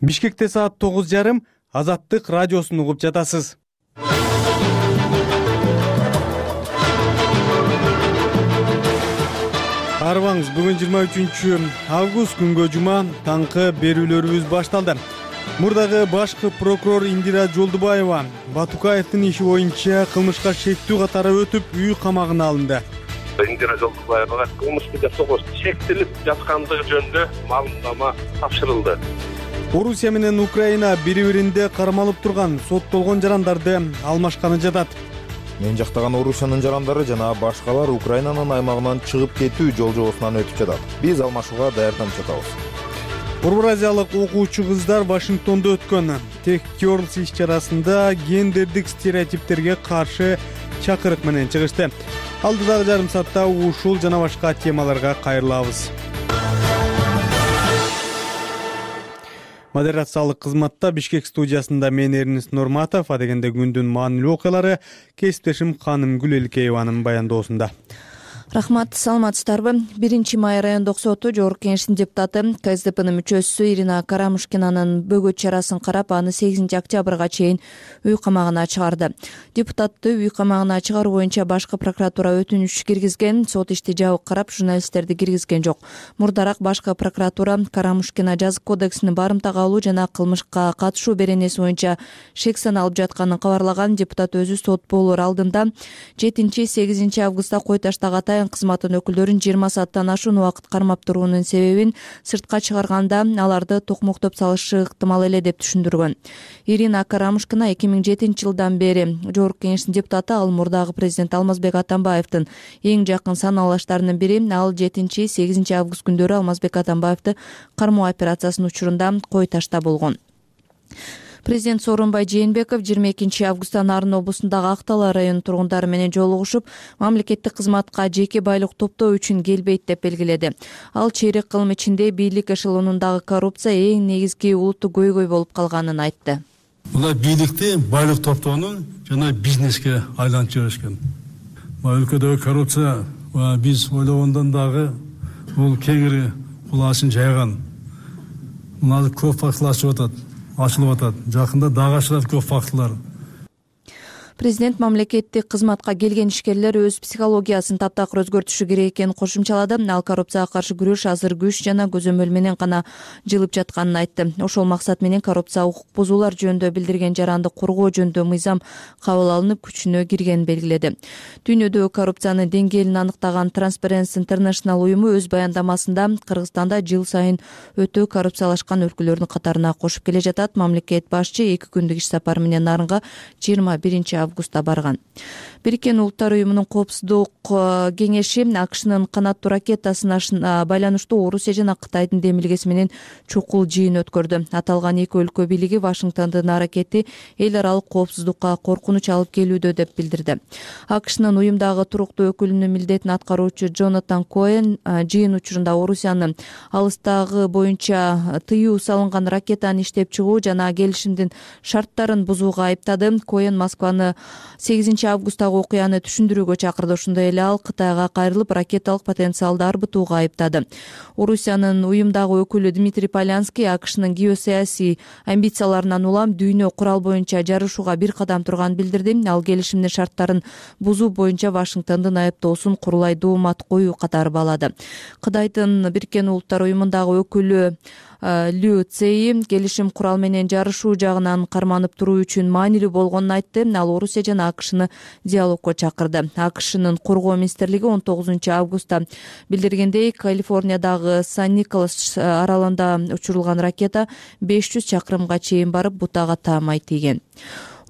Бишкекте саат 9:30 Азаттык радиосун угуп жатасыз. Арыбаңыз, бүгүн 23 август күнгө жума таңкы берүүлөрүбүз башталды. Мурдагы башкы прокурор Индира Жолдубаева Батукаевдин иши боюнча кылмышка шектүү катары өтүп, үй камагына алынды. Индира Жолдубаевага кылмышты жасоого шектелип жаткандыгы жөнүндө маалымдама тапшырылды. Орусия менен Украина бири-биринде кармалып турган соттолгон жарандарды алмашканы жатат. Мен жактаган Орусиянын жарандары жана башкалар Украинанын аймагынан чыгып кетүү жол жобосунан өтүп жатат. Биз алмашууга даярданып жатабыз. Орто Азиялык окуучу кыздар Вашингтондо өткөн Tech Girls иш-чарасында гендердик стереотиптерге каршы чакырык менен чыгышты. Алдыдагы жарым саатта ушул жана башка темаларга кайрылабыз. Модерациялык кызматта Бишкек студиясында мен Эрнест Нурматов, адегенде күндүн маанилүү окуялары кесиптешим Ханым Гүлелкееванын баяндоосунда. Рахмат, саламатсыздарбы? 1 май райондук соту Жогорку Кеңештин депутаты КСДПнын мүчөсү Ирина Карамушкинанын бөгөт чарасын карап, аны 8 октябрга чейин үй камагына чыгарды. Депутатты үй камагына чыгаруу боюнча башкы прокуратура өтүнүч киргизген, сот ишти жабык карап, журналисттерди киргизген жок. Мурдараак башкы прокуратура Карамушкина жазык кодексин барымтага алуу жана кылмышка катышуу беренеси боюнча шек саналып жатканын кабарлаган. Депутат өзү сот болоор алдында 7-8 августта кой таштагы кызматтын өкүлдөрүн 20 сааттан ашуун убакыт кармап туруунун себебин сыртка чыгарганда аларды токмоктоп салышы ыктымал эле деп түшүндүргөн. Ирина Карамушкина 2007 жылдан бери Жогорку Кеңештин депутаты, ал мурдагы президент Алмазбек Атамбаевдин эң жакын санаалаштарынын бири. Ал 7-8 август күндөрү Алмазбек Атамбаевди кармоо операциясынын учурунда кой ташта болгон. Президент Сооронбай Жээнбеков 22 августта Нарын облусундагы Актала районунун тургундары менен жолугушуп, мамлекеттик кызматка жеке байлык топтоо үчүн келбейт деп белгиледи. Ал чейрек кылым ичинде бийлик эшелонундагы коррупция эң негизги улуттук көйгөй болуп калганын айтты. Мына бийликти байлык топтоонун жана бизнеске айлантып жиберишкен. Өлкөдөгү коррупция биз ойлогондон дагы бул кеңири кулаасын жайган. Мына көп фактылар ачылып атат. Жакында дагы ашылат көп фактылар. Президент мамлекеттик кызматка келген ишкерлер өз психологиясын таптакыр өзгөртүшү керек экенин кошумчалады. Ал коррупцияга каршы күрөш азыр күч жана көзөмөл менен гана жылып жатканын айтты. Ошол максат менен коррупция укук бузуулар жөнүндө билдирген жаранды коргоо жөнүндө мыйзам кабыл алынып, күчүнө киргенин белгиледи. Дүйнөдөгү коррупциянын деңгээлин аныктаган Transparency International уюму өз баяндамасында Кыргызстанда жыл сайын өтө коррупциялашкан өлкөлөрдүн катарына кошуп келе жатат. Мамлекет башчы 2 күндүк иш сапары менен Нарынга 21 августта барган. Бириккен Улуттар уюмунун коопсуздук кеңеши АКШнын канаттуу ракетасына байланыштуу Орусия жана Кытайдын демилгеси менен чукул жыйын өткөрдү. Аталган эки өлкө бийлиги Вашингтондун аракети эл аралык коопсуздукка коркунуч алып келүүдө деп билдирди. АКШнын уюмдагы туруктуу өкүлүнүн милдетин аткаруучу Джонатан Коэн жыйын учурунда Орусиянын алыстагы боюнча тыюу салынган ракетаны иштеп чыгуу жана келишимдин шарттарын бузууга айыптады. Коэн Москваны 8 августтагы окуяны түшүндүрүүгө чакырды. Ошондой эле ал Кытайга кайрылып, ракеталык потенциалды арбытууга айыптады. Орусиянын уюмдагы өкүлү Дмитрий Полянский АКШнын геосаясий амбицияларынан улам дүйнө курал боюнча жарышууга бир кадам турганын билдирди. Ал келишимдин шарттарын бузуу боюнча Вашингтондун айыптоосун курулай доомат коюу катары баалады. Кытайдын Бириккен Улуттар уюмундагы өкүлү Лю Цей келишим курал менен жарышуу жагынан карманып туруу үчүн маанилүү болгонун айтты. Ал Орусия жана АКШны диалогко чакырды. АКШнын коргоо министрлиги 19 августта билдиргендей, Калифорниядагы Сан-Николас аралында учурулган ракета 500 чакырымга чейин барып, бутага таамай тийген.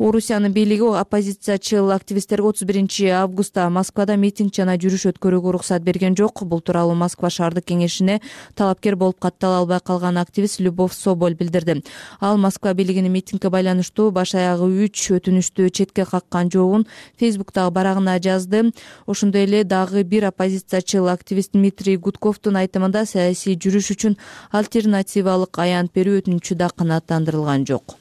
Орусиянын бийлиги оппозициячыл активисттерге 31 августта Москвада митинг жана жүрүш өткөрүүгө уруксат берген жок. Бул тууралуу Москва шаардык кеңешине талапкер болуп каттала албай калган активист Любовь Соболь билдирди. Ал Москва бийлигинин митингге байланыштуу баш аягы 3 өтүнүштү четке каккан жообун Фейсбуктагы барагына жазды. Ошондой эле дагы бир оппозициячыл активист Дмитрий Гудковдун айтымында саясий жүрүш үчүн альтернативалык аянт берүү өтүнүчү да канааттандырылган жок.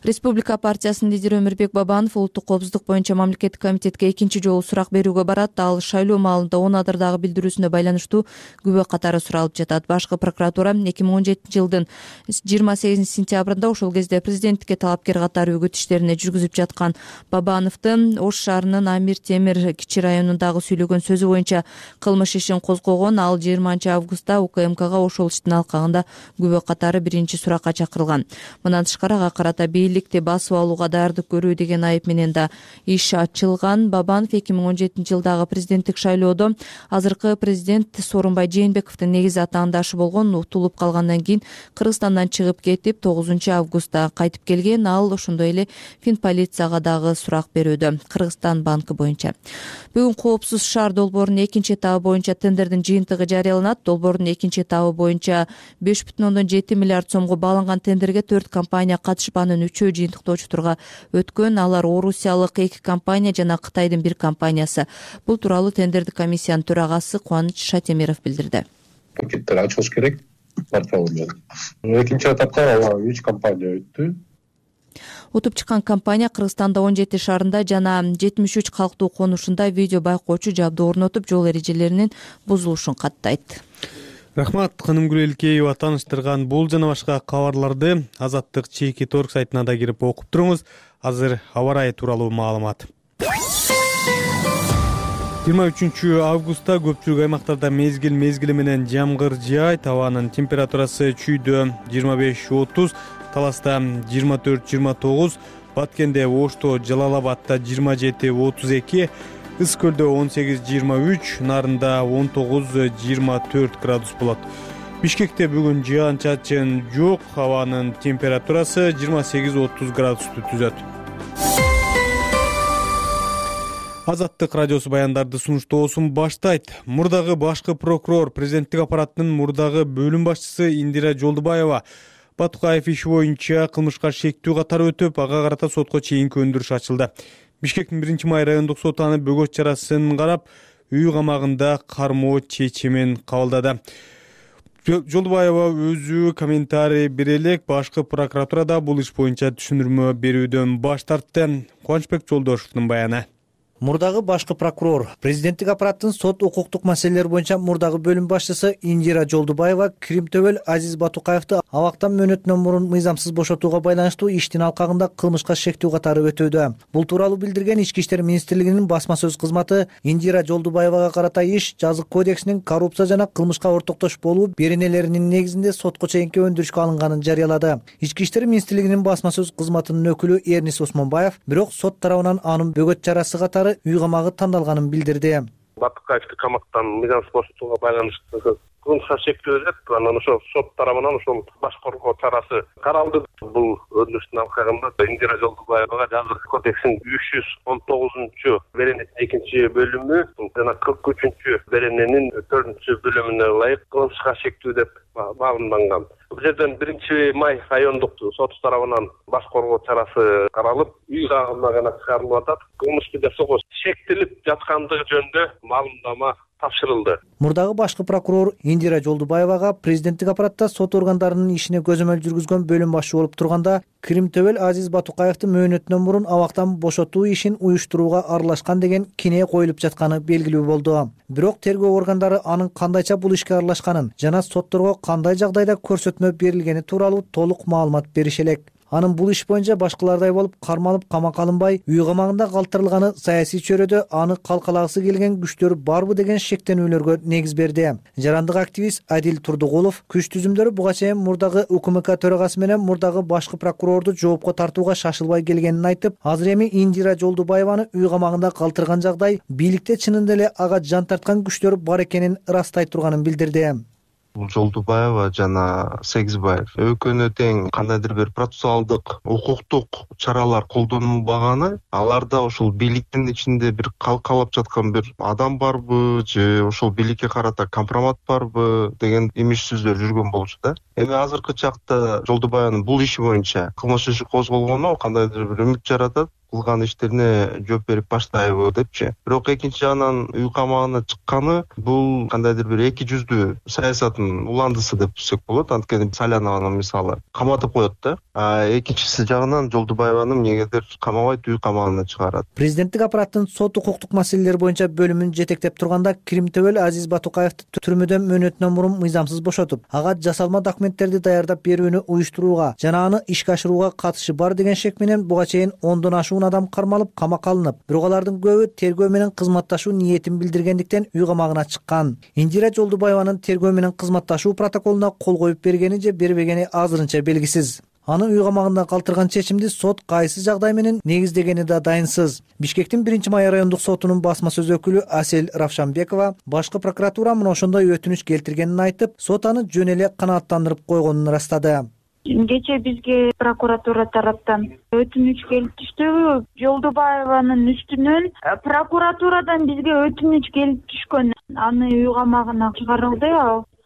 Республика партиясынын лидери Өмүрбек Бабанов улуттук коопсуздук боюнча мамлекеттик комитетке экинчи жолу сурак берүүгө барат. Ал шайлоо маалында 10 адырдагы билдирүүсүнө байланыштуу күбө катары суралып жатат. Башкы прокуратура 2017 жылдын 28 сентябрында ошол кезде президенттикке талапкер катары үгүт иштерине жүргүзүп жаткан Бабановду Ош шаарынын Амир Темир кичи районундагы сүйлөгөн сөзү боюнча кылмыш ишин козгогон. Ал 20 августта УКМКга ошол иштин алкагында күбө катары биринчи суракка чакырылган. Мындан тышкары ага карата бийликти басып алууга даярдык көрүү деген айып менен да иш ачылган. Бабанов 2017 жылдагы президенттик шайлоодо азыркы президент Сооронбай Жээнбековдун негизи атаандашы болгон. Утулуп калгандан кийин Кыргызстандан чыгып кетип 9 августта кайтып келген. Ал ошондой эле Финполицияга дагы сурак берүүдө. Кыргызстан банкы боюнча бүгүн коопсуз шаар долбоорунун экинчи этабы боюнча тендердин жыйынтыгы жарыяланат. Долбоордун экинчи этабы боюнча 5,7 миллиард сомго бааланган тендерге 4 компания катышпанын 3-өө жыйынтыктоочу өткөн. Алар Орусиялык 2 компания жана Кытайдын 1 компаниясы. Бул тууралуу тендердик комиссиянын төрагасы Кубаныч Шатемиров билдирди. Пакеттер ачылыш керек портал менен. Экинчи этапта 3 компания өттү. Утуп чыккан компания Кыргызстанда 17 шаарында жана 73 калктуу конушунда видео байкоочу жабдуу орнотуп, жол эрежелеринин бузулушун каттайт. Рахмат, Канымгүл Элкеева тааныштырган бул жана башка кабарларды Азаттык Чеки.орг сайтына да кирип окуп туруңуз. Азыр аба ырайы тууралуу маалымат. 23 августта көпчүлүк аймактарда мезгил менен жамгыр жаайт. Абанын температурасы Чүйдө 25-30, Таласта 24-29, Баткенде, Ошто, Жалал-Абадда 27-32, Ыс көлдө 18-23, Нарында 19-24 градус болот. Бишкекте бүгүн жаан-чачын жок, абанын температурасы 28-30 градусту түзөт. Азаттык радиосу баяндарды сунуштоосун баштайт. Мурдагы башкы прокурор, президенттик аппараттын мурдагы бөлүм башчысы Индира Жолдубаева Батукаев иши боюнча кылмышка шектүү катары өтөп, ага карата сотко чейинки өндүрүш ачылды. Бишкектин 1-май райондук соту аны бөгөт чарасын карап, үй камагында кармоо чечимин кабылдады. Жолдубаева өзү комментарий бере элек башкы прокуратурада бул иш боюнча түшүндүрмө берүүдөн баш тартты. Кубанычбек Жолдошевдун баяны. Мурдагы башкы прокурор, президенттик аппараттын сот укуктук маселелер боюнча мурдагы бөлүм башчысы Индира Жолдубаева Кримтөбөл Азиз Батукаевди абактан мөөнөтүнөн мурун мыйзамсыз бошотууга байланыштуу иштин алкагында кылмышка шектүү катары өтүүдө. Бул тууралуу билдирген Ички иштер министрлигинин басма сөз кызматы Индира Жолдубаевага карата иш жазык кодексинин коррупция жана кылмышка ортоктош болуу беренелеринин негизинде сотко чейинки өндүрүшкө алынганын жарыялады. Ички иштер министрлигинин басма сөз кызматынын өкүлү Эрнис Осмонбаев бирок сот тарабынан анын бөгөт чарасы катары үй камагы тандалганын билдирди. Батукаевди камактан мыйзамсыз бошотууга байланыштуу кылмышка шектүү өтөт. Анан ошол сот тарабынан ошол баш коргоо чарасы каралды. Бул өндүрүштүн алкагында Индира Жолдубаевага жазык кодексинин 319 беренесинин экинчи бөлүмү жана 43 берененин 4 бөлүмүнө ылайык кылмышка шектүү деп маалымданган. Бул жерден 1-май райондук сот тарабынан баш коргоо чарасы каралып, үй камагына чыгарылып атат. Кылмышты жасоого шектелип жаткандыгы жөнүндө маалымдама тапшырылды. Мурдагы башкы прокурор Индира Жолдубаевага президенттик аппаратта сот органдарынын ишине көзөмөл жүргүзгөн бөлүм башчы болуп турганда Кримтөбөл Азиз Батукаевди мөөнөтүнөн мурун абактан бошотуу ишин уюштурууга аралашкан деген кинээ коюлуп жатканы белгилүү болду. Бирок тергөө органдары анын кандайча бул ишке аралашканын жана сотторго кандай жагдайда көрсөтмө берилгени тууралуу толук маалымат берише элек. Анын бул иш боюнча башкалардай болуп кармалып камакка алынбай, үй камагында калтырылганы саясий чөйрөдө аны калкалагысы келген күчтөр барбы деген шектенүүлөргө негиз берди. Жарандык активист Адил Турдугулов күч түзүмдөрү буга чейин мурдагы УКМК төрагасы менен мурдагы башкы прокурорду жоопко тартууга шашылбай келгенин айтып, азыр эми Индира Жолдубаеваны үй камагында калтырган жагдай бийликте чынында эле ага жан тарткан күчтөр бар экенин ырастай турганын билдирди. Жолдубаева жана Сегизбаев экөөнө тең кандайдыр бир процессуалдык укуктук чаралар колдонулбаганы, аларда ошол бийликтин ичинде бир калкалап жаткан бир адам барбы же ошол бийликке карата компромат барбы деген имиш сөздөр жүргөн болчу да. Эми азыркы чакта Жолдубаеванын бул иши боюнча кылмыш иши козголгону кандайдыр бир үмүт жаратат. кылган иштерине жооп берип баштайбы депчи. Бирок экинчи жагынан үй камагына чыкканы бул кандайдыр бир эки жүздүү саясаттын уландысы деп түшсөк болот. Анткени Салянованы мисалы каматып коет да. Экинчиси жагынан Жолдубаеваны эмнегедир камабайт, үй камагына чыгарат. Президенттик аппараттын сот укуктук маселелер боюнча бөлүмүн жетектеп турганда Кримтөбөл Азиз Батукаевди түрмөдөн мөөнөтүнөн мурун мыйзамсыз бошотуп, ага жасалма документтерди даярдап берүүнү уюштурууга жана аны ишке ашырууга катышы бар деген шек менен буга чейин 10дон ашуун адам кармалып, камакка алынып, бирок алардын көбү тергөө менен кызматташуу ниетин билдиргендиктен үй камагына чыккан. Индира Жолдубаеванын тергөө менен кызматташуу протоколуна кол коюп бергени же бербегени азырынча белгисиз. Аны үй камагында калтырган чечимди сот кайсы жагдай менен негиздегени да дайынсыз. Бишкектин 1-май райондук сотунун басма сөз өкүлү Асель Равшанбекова башкы прокуратура мына ошондой өтүнүч келтиргенин айтып, сот аны жөн эле канааттандырып койгонун ырастады. Кечээ бизге прокуратура тараптан өтүнүч келип түштү. Жолдубаеванын үстүнөн прокуратурадан бизге өтүнүч келип түшкөн. Аны үй камагына чыгарылды.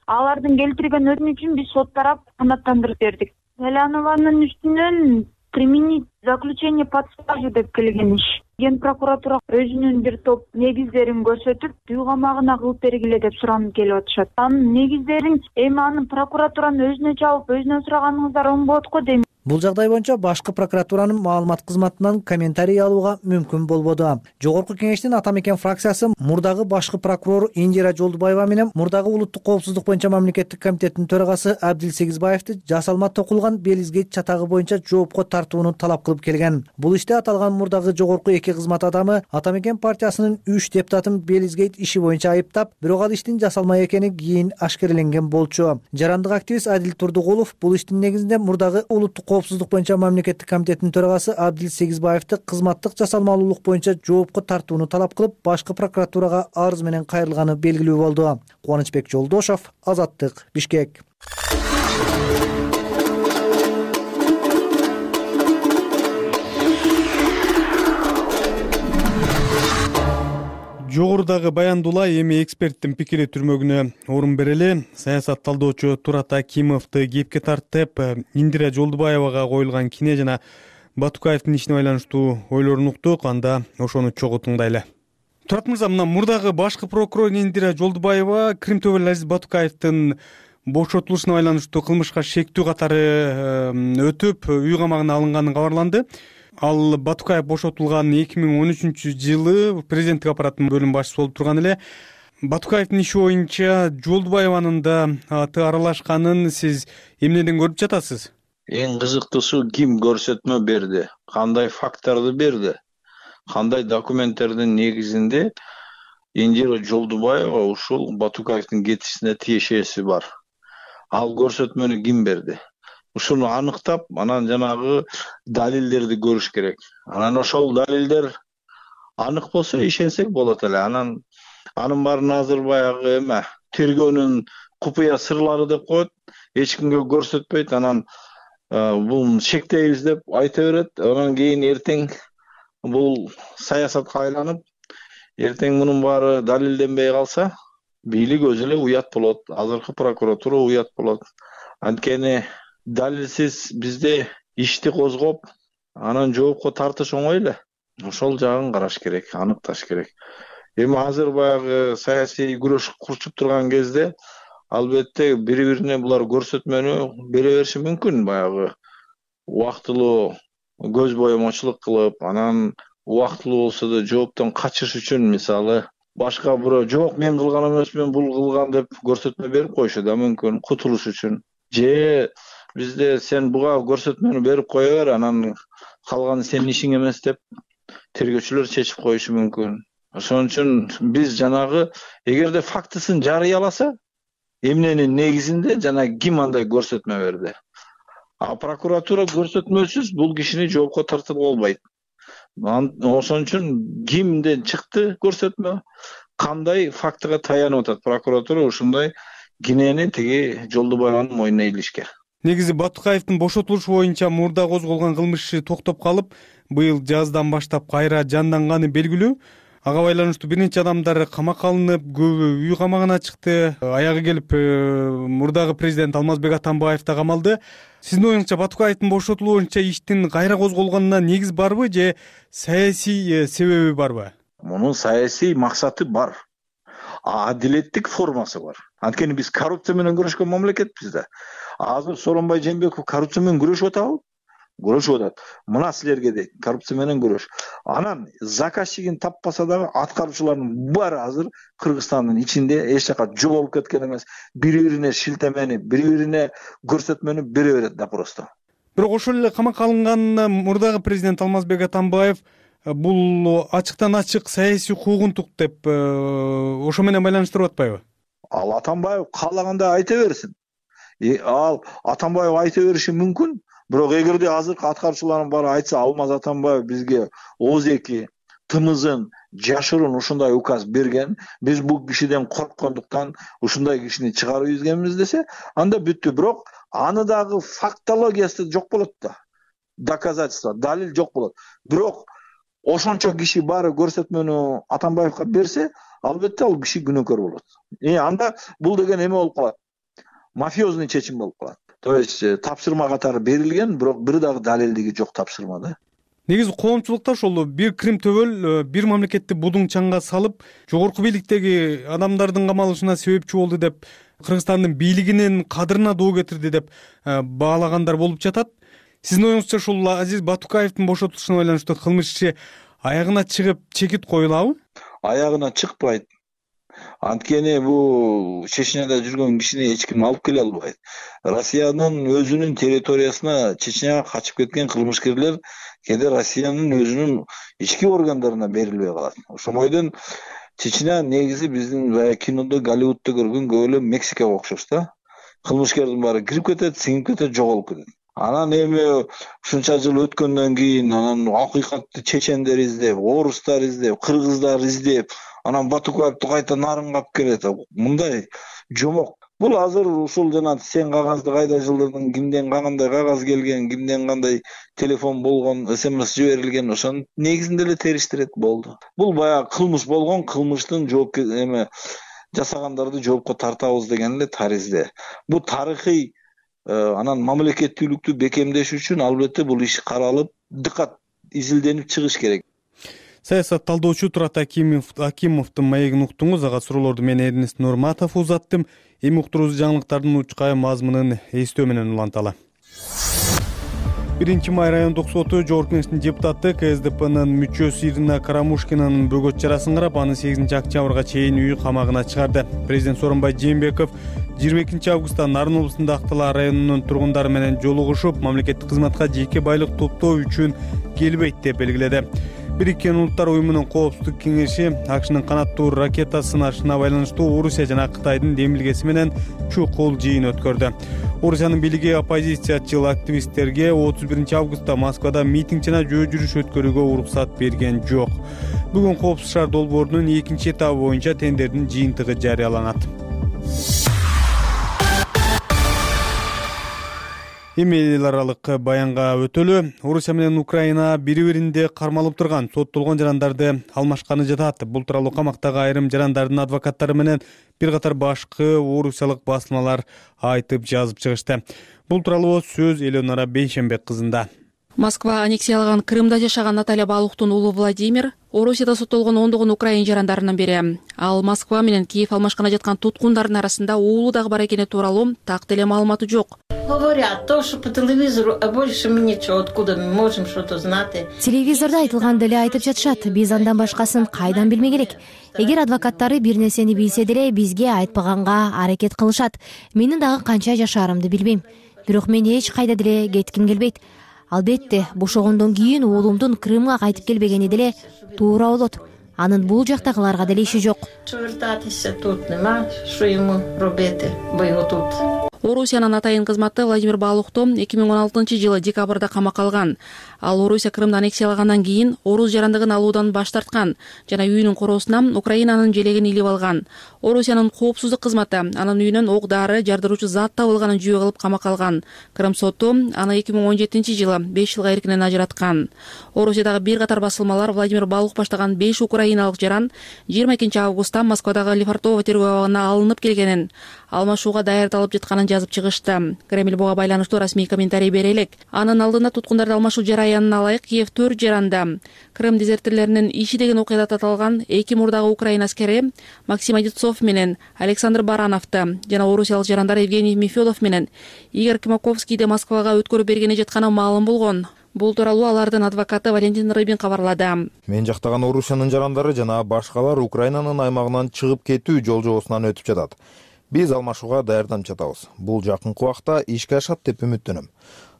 Алардын келтирген өтүнүчүн биз сот тарап канааттандырып бердик. Салянованын үстүнөн применить заключение под стражу деп келген иш. Ген прокуратура өзүнүн бир топ негиздерин көрсөтүп, үй камагына кылып бергиле деп суранып келип атышат. Анын негиздерин эми анын прокуратуранын өзүнө чабып, өзүнөн сураганыңыздар оң болот го дейм. Бул жагдай боюнча башкы прокуратуранын маалымат кызматынан комментарий алууга мүмкүн болбоду. Жогорку кеңештин Ата Мекен фракциясы мурдагы башкы прокурор Индира Жолдубаева менен мурдагы улуттук коопсуздук боюнча мамлекеттик комитеттин төрагасы Абдил Сегизбаевди жасалма токулган Белизгейт чатагы боюнча жоопко тартууну талап кылып келген. Бул иште аталган мурдагы жогорку эки кызмат адамы Ата Мекен партиясынын 3 депутатын Белизгейт иши боюнча айыптап, бирок ал иштин жасалма экени кийин ашкереленген болчу. Жарандык активист Адил Турдугулов бул иштин негизинде мурдагы улуттук коопсуздук боюнча мамлекеттик комитеттин төрагасы Абдил Сегизбаевди кызматтык жасалмалуулук боюнча жоопко тартууну талап кылып, башкы прокуратурага арыз менен кайрылганы белгилүү болду. Кубанычбек Жолдошов, Азаттык, Бишкек. Жогорудагы баяндуулар эми эксперттин пикири түрмөгүнө орун берели. Саясат талдоочу Турат Акимовду кепке тартып, Индира Жолдубаевага коюлган кине жана Батукаевдин ишине байланыштуу ойлорун уктук. Анда ошону чогуу тыңдайлы. Турат мырза, мына мурдагы башкы прокурор Индира Жолдубаева Кримтөбөл Азиз Батукаевдин бошотулушуна байланыштуу кылмышка шектүү катары өтүп, үй камагына алынганын кабарланды. Ал Батукаев бошотулган 2013-жылы президенттик аппараттын бөлүм башчысы болуп турган эле. Батукаевдин иши боюнча Жолдубаеванын да аты аралашканын сиз эмнеден көрүп жатасыз? Эң кызыктуусу ким көрсөтмө берди, кандай факттарды берди, кандай документтердин негизинде Индира Жолдубаева ушул Батукаевдин кетишине тиешеси бар. Ал көрсөтмөнү ким берди? Ушуну аныктап, анан жанагы далилдерди көрүш керек. Анан ошол далилдер анык болсо ишенсек болот эле. Анын баарын азыр баягы эме тергөөнүн купуя сырлары деп коет, эч кимге көрсөтпөйт. Анан бул шектейбиз деп айта берет. Анан кийин эртең бул саясатка айланып, эртең мунун баары далилденбей калса, бийлик өзү эле уят болот. Азыркы прокуратура уят болот. Анткени далилсиз бизде ишти козгоп, анан жоопко тартыш оңой эле. Ошол жагын караш керек, аныкташ керек. Эми азыр баягы саясий күрөш курчуп турган кезде албетте бири-бирине булар көрсөтмөнү бере бериши мүмкүн. Баягы убактылуу көз боемочулук кылып, анан убактылуу болсо да жооптон качыш үчүн мисалы башка бирөө жок мен кылган эмесмин, бул кылган деп көрсөтмө берип коюшу да мүмкүн кутулуш үчүн. Же бизде сен буга көрсөтмөнү берип кое бер, анан калганы сенин ишиң эмес деп тергөөчүлөр чечип коюшу мүмкүн. Ошон үчүн биз жанагы эгерде фактысын жарыяласа, эмненин негизинде жана ким андай көрсөтмө берди. А прокуратура көрсөтмөсүз бул кишини жоопко тартып болбойт. Ошон үчүн кимден чыкты көрсөтмө, кандай фактыга таянып атат прокуратура, ушундай кинени тиги Жолдубаеванын мойнуна илишкен. Негизи Батукаевдин бошотулушу боюнча мурда козголгон кылмыш иши токтоп калып, быйыл жаздан баштап кайра жанданганы белгилүү. Ага байланыштуу бир нече адамдар камакка алынып, көбү үй камагына чыкты. Аягы келип мурдагы президент Алмазбек Атамбаев да камалды. Сиздин оюңузча Батукаевдин бошотулуу боюнча иштин кайра козголгонуна негиз барбы же саясий себеби барбы? Мунун саясий максаты бар. Адилеттик формасы бар. Анткени биз коррупция менен күрөшкөн мамлекетпиз да. Азыр Сооронбай Жээнбеков коррупция менен күрөшүп атабы? Күрөшүп атат. Мына силерге дейт, коррупция менен күрөш. Анан заказчигин таппаса дагы аткаруучулардын баары азыр Кыргызстандын ичинде эч жака жоголуп кеткен эмес. Бири-бирине шилтемени, бири-бирине көрсөтмөнү бере берет да просто. Бирок ошол эле камакка алынган мурдагы президент Алмазбек Атамбаев бул ачыктан ачык саясий куугунтук деп ошо менен байланыштырып атпайбы? Ал Атамбаев каалагандай айта берсин. Ал Атамбаев айта бериши мүмкүн. Бирок эгерде азыркы аткаруучулардын баары айтса, Алмаз Атамбаев бизге ооз-эки тымызын жашырын ушундай указ берген, биз бул кишиден корккондуктан ушундай кишини чыгарып ийгенбиз десе, анда бүттү. Бирок аны дагы фактологиясы жок болот да. Доказательство, далил жок болот. Бирок ошончо киши баары көрсөтмөнү Атамбаевга берсе, албетте ал киши күнөөкөр болот. Анда бул деген эме болуп калат. Мафиозный чечим болуп калат. То есть тапшырма катары берилген, бирок бир дагы далилдиги жок тапшырмада. Негизи коомчулукта ошол бир Крим төбөл бир мамлекетти будуң чаңга салып, жогорку бийликтеги адамдардын камалышына себепчи болду деп, Кыргызстандын бийлигинин кадырына доо кетирди деп баалагандар болуп жатат. Сиздин оюңузча ушул Азиз Батукаевдин бошотулушуна байланыштуу кылмыш иши аягына чыгып чекит коюлабы? Аягына чыкпайт. Анткени бул Чечняда жүргөн кишини эч ким алып келе албайт. Россиянын өзүнүн территориясына Чечняга качып кеткен кылмышкерлер кээде Россиянын өзүнүн ички органдарына берилбей калат. Ошондойдон Чечня негизи биздин баягы кинодо, Голливудда көргөн көп эле Мексикага окшош да. Кылмышкердин баары кирип кетет, сиңип кетет, жоголуп кетет. Анан эми ушунча жыл өткөндөн кийин анан акыйкатты чечендер издеп, орустар издеп, кыргыздар издеп, анан Батукаевди кайта нарынга алып келет. Мындай жомок. Бул азыр ушул жана сен кагазды кайда жылдырдың, кимден кандай кагаз келген, кимден кандай телефон болгон, СМС жиберилген, ошонун негизинде эле териштирет болду. Бул баягы кылмыш болгон, кылмыштын жооп эме жасагандарды жоопко тартабыз деген эле таризде. Бул тарыхый анан мамлекеттүүлүктү бекемдеш үчүн албетте бул иш каралып, дыкат изилденип чыгыш керек. Саясат талдоочу Турат Акимовдун маегин уктуңуз. Ага суроолорду мен Эрнест Нурматов узаттым. Эми уктуруубуз жаңылыктардын учкай мазмунун эстөө менен уланталы. 1-май райондук соту Жогорку Кеңештин депутаты КСДПнын мүчөсү Ирина Карамушкинанын бөгөт чарасын карап, аны 8-октябрга чейин үй камагына чыгарды. Президент Сооронбай Жээнбеков 22 августта Нарын облусунда Актала районунун тургундары менен жолугушуп, мамлекеттик кызматка жеке байлык топтоо үчүн келбейт деп белгиледи. Бириккен Улуттар уюмунун коопсуздук кеңеши АКШнын канаттуу ракета сынашына байланыштуу Орусия жана Кытайдын демилгеси менен чукул жыйын өткөрдү. Орусиянын бийлиги оппозициячыл активисттерге 31 августта Москвада митинг жана жөө жүрүш өткөрүүгө уруксат берген жок. Бүгүн Коопсуз шаар долбоорунун 2 этабы боюнча тендердин жыйынтыгы жарыяланат. Эми эл аралык баянга өтөлү. Орусия менен Украина бири-биринде кармалып турган соттолгон жарандарды алмашканы жатат. Бул тууралуу камактагы айрым жарандардын адвокаттары менен бир катар башкы орусиялык басылмалар айтып жазып чыгышты. Бул тууралуу сөз Элеонора Бейшембек кызында. Москва аннексиялаган Крымда жашаган Наталья Балуктун уулу Владимир Орусияда соттолгон ондогон украин жарандарынын бири. Ал Москва менен Киев алмашкана жаткан туткундардын арасында уулу дагы бар экени тууралуу так деле маалыматы жок. Говорят то, что по телевизору, а больше мы ничего, откуда мы можем что-то знать. Телевизорда айтылган деле айтып жатышат. Биз андан башкасын кайдан билмек керек. Эгер адвокаттары бир нерсени билсе деле бизге айтпаганга аракет кылышат. Менин дагы канча жашаарымды билбейм. Бирок мен эч кайда деле кетким келбейт. Албетте, бошогондон кийин уулумдун Крымга кайтып келбегени деле туура болот. Анын бул жактагыларга деле иши жок. Орусиянын атайын кызматы Владимир Балухту 2016-жылы декабрда камакка алган. Ал Орусия Крымды аннексиялагандан кийин орус жарандыгын алуудан баш тарткан жана үйүнүн короосуна Украинанын желегин илип алган. Орусиянын коопсуздук кызматы анын үйүнөн ок-дары, жардыруучу зат табылганын жүйө кылып камакка алган. Крым соту аны 2017-жылы 5 жылга эркинен ажыраткан. Орусиядагы бир катар басылмалар Владимир Балух баштаган 5 украиналык жаран 22 августта Москвадагы Лефортово тергөө абагына алынып келгенин, алмашууга даярдалып жатканын жазып чыгышты. Кремль буга байланыштуу расмий комментарий бере элек. Анын алдында туткундарды алмашуу жараянына ылайык Киев 4 жаранда Крым дезертирлеринин иши деген окуяда таталган 2 мурдагы украин аскери Максим Одинцов менен Александр Барановду жана орусиялык жарандар Евгений Мефедов менен Игорь Кимаковскийди Москвага өткөрүп бергени жатканы маалым болгон. Бул тууралуу алардын адвокаты Валентин Рыбин кабарлады. Мен жактаган Орусиянын жарандары жана башкалар Украинанын аймагынан чыгып кетүү жол жобосунан өтүп жатат. Биз алмашууга даярданып жатабыз. Бул жакынкы убакта ишке ашат деп үмүттөнөм.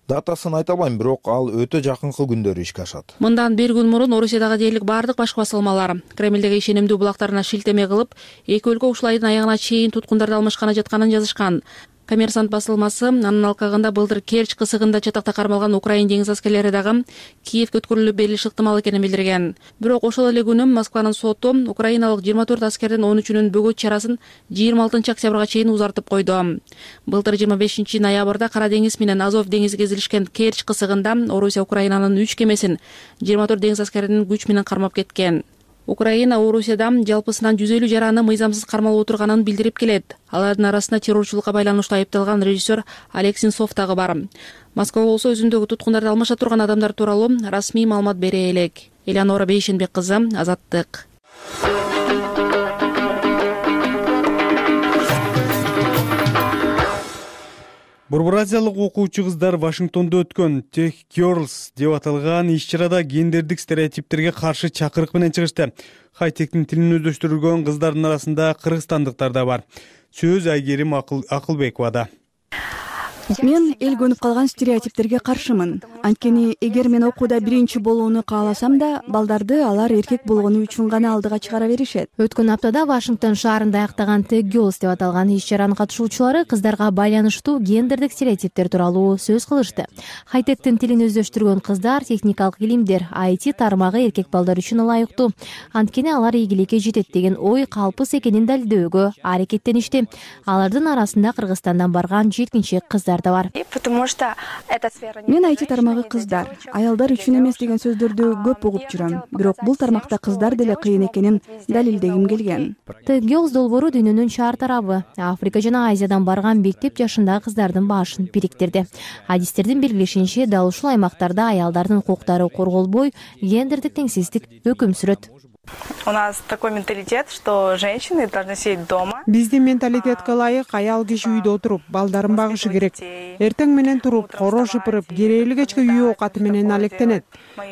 Датасын айта албайм, бирок ал өтө жакынкы күндөрү ишке ашат. Мындан бир күн мурун Орусиядагы дээрлик бардык башкы басылмалар Кремлдеги ишенимдүү булактарына шилтеме кылып, эки өлкө ушул айдын аягына чейин туткундарды алмашканы жатканын жазышкан. Коммерсант басылмасы анын алкагында былтыр Керчь кысыгында чатакта кармалган украин деңиз аскерлери дагы Киевге өткөрүлүп берилиши ыктымал экенин билдирген. Бирок ошол эле күнү Москванын соту украиналык 24 аскердин 13-үнүн бөгөт чарасын 26 октябрга чейин узартып койду. Былтыр 25 ноябрда Кара деңиз менен Азов деңизи кезилишкен Керчь кысыгында Орусия Украинанын 3 кемесин 24 деңиз аскеринин күч менен кармап кеткен. Украина Орусияда жалпысынан 150 жараны мыйзамсыз кармалып отурганын билдирип келет. Алардын арасында террорчулукка байланыштуу айыпталган режиссер Олег Сенцов дагы бар. Москва болсо өзүндөгү туткундарды алмаша турган адамдар тууралуу расмий маалымат бере элек. Элеонора Бейшенбек кызы, Азаттык. Борбор азиялык окуучу кыздар Вашингтондо өткөн Tech Girls деп аталган иш-чарада гендердик стереотиптерге каршы чакырык менен чыгышты. Хайтектин тилин өздөштүргөн кыздардын арасында кыргызстандыктар да бар. Сөз Айгерим Акылбековада. Мен эл көнүп калган стереотиптерге каршымын. Анткени эгер мен окууда биринчи болууну кааласам да, балдарды алар эркек болгону үчүн гана алдыга чыгара беришет. Өткөн аптада Вашингтон шаарында аяктаган Tech Girls деп аталган иш-чаранын катышуучулары кыздарга байланыштуу гендердик стереотиптер тууралуу сөз кылышты. Хайтектин тилин өздөштүргөн кыздар техникалык илимдер, IT тармагы эркек балдар үчүн ылайыктуу. Анткени алар ийгиликке жетет деген ой калпыс экенин далилдөөгө аракеттеништи. Алардын арасында Кыргызстандан барган жеткинчек кыздар да бар. Мен IT тармагы кыздар, аялдар үчүн эмес деген сөздөрдү көп угуп жүрөм. Бирок бул тармакта кыздар деле кыйын экенин далилдегим келген. Tech Girls долбоору дүйнөнүн шаар тарабы, Африка жана Азиядан барган мектеп жашындагы кыздардын башын бириктирди. Адистердин белгилешинче, дал ушул аймактарда аялдардын укуктары корголбой, гендердик теңсиздик өкүм сүрөт. У нас такой менталитет, что женщины должны сидеть дома. Биздин менталитетке ылайык аял киши үйдө отуруп, балдарын багышы керек. Эртең менен туруп, коро шыпырып, кереэлүү кечке үй оокаты менен алектенет.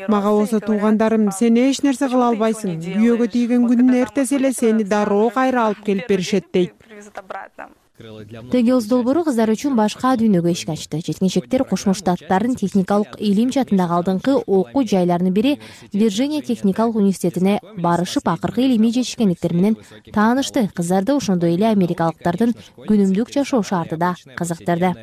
Мага болсо туугандарым, сен эч нерсе кыла албайсың. Күйөөгө тийген күнүн эртеси эле сени дароо кайра алып келип беришет дейт. Tech Girls долбоору кыздар үчүн башка дүйнөгө эшик ачты. Жеткинчектер Кошмо Штаттардын техникалык илим жаатындагы алдыңкы окуу жайларынын бири Вирджиния техникалык университетине барышып, акыркы илимий жетишкендиктер менен таанышты. Кыздарды ошондой эле америкалыктардын күнүмдүк жашоо шартыда кызыктырды.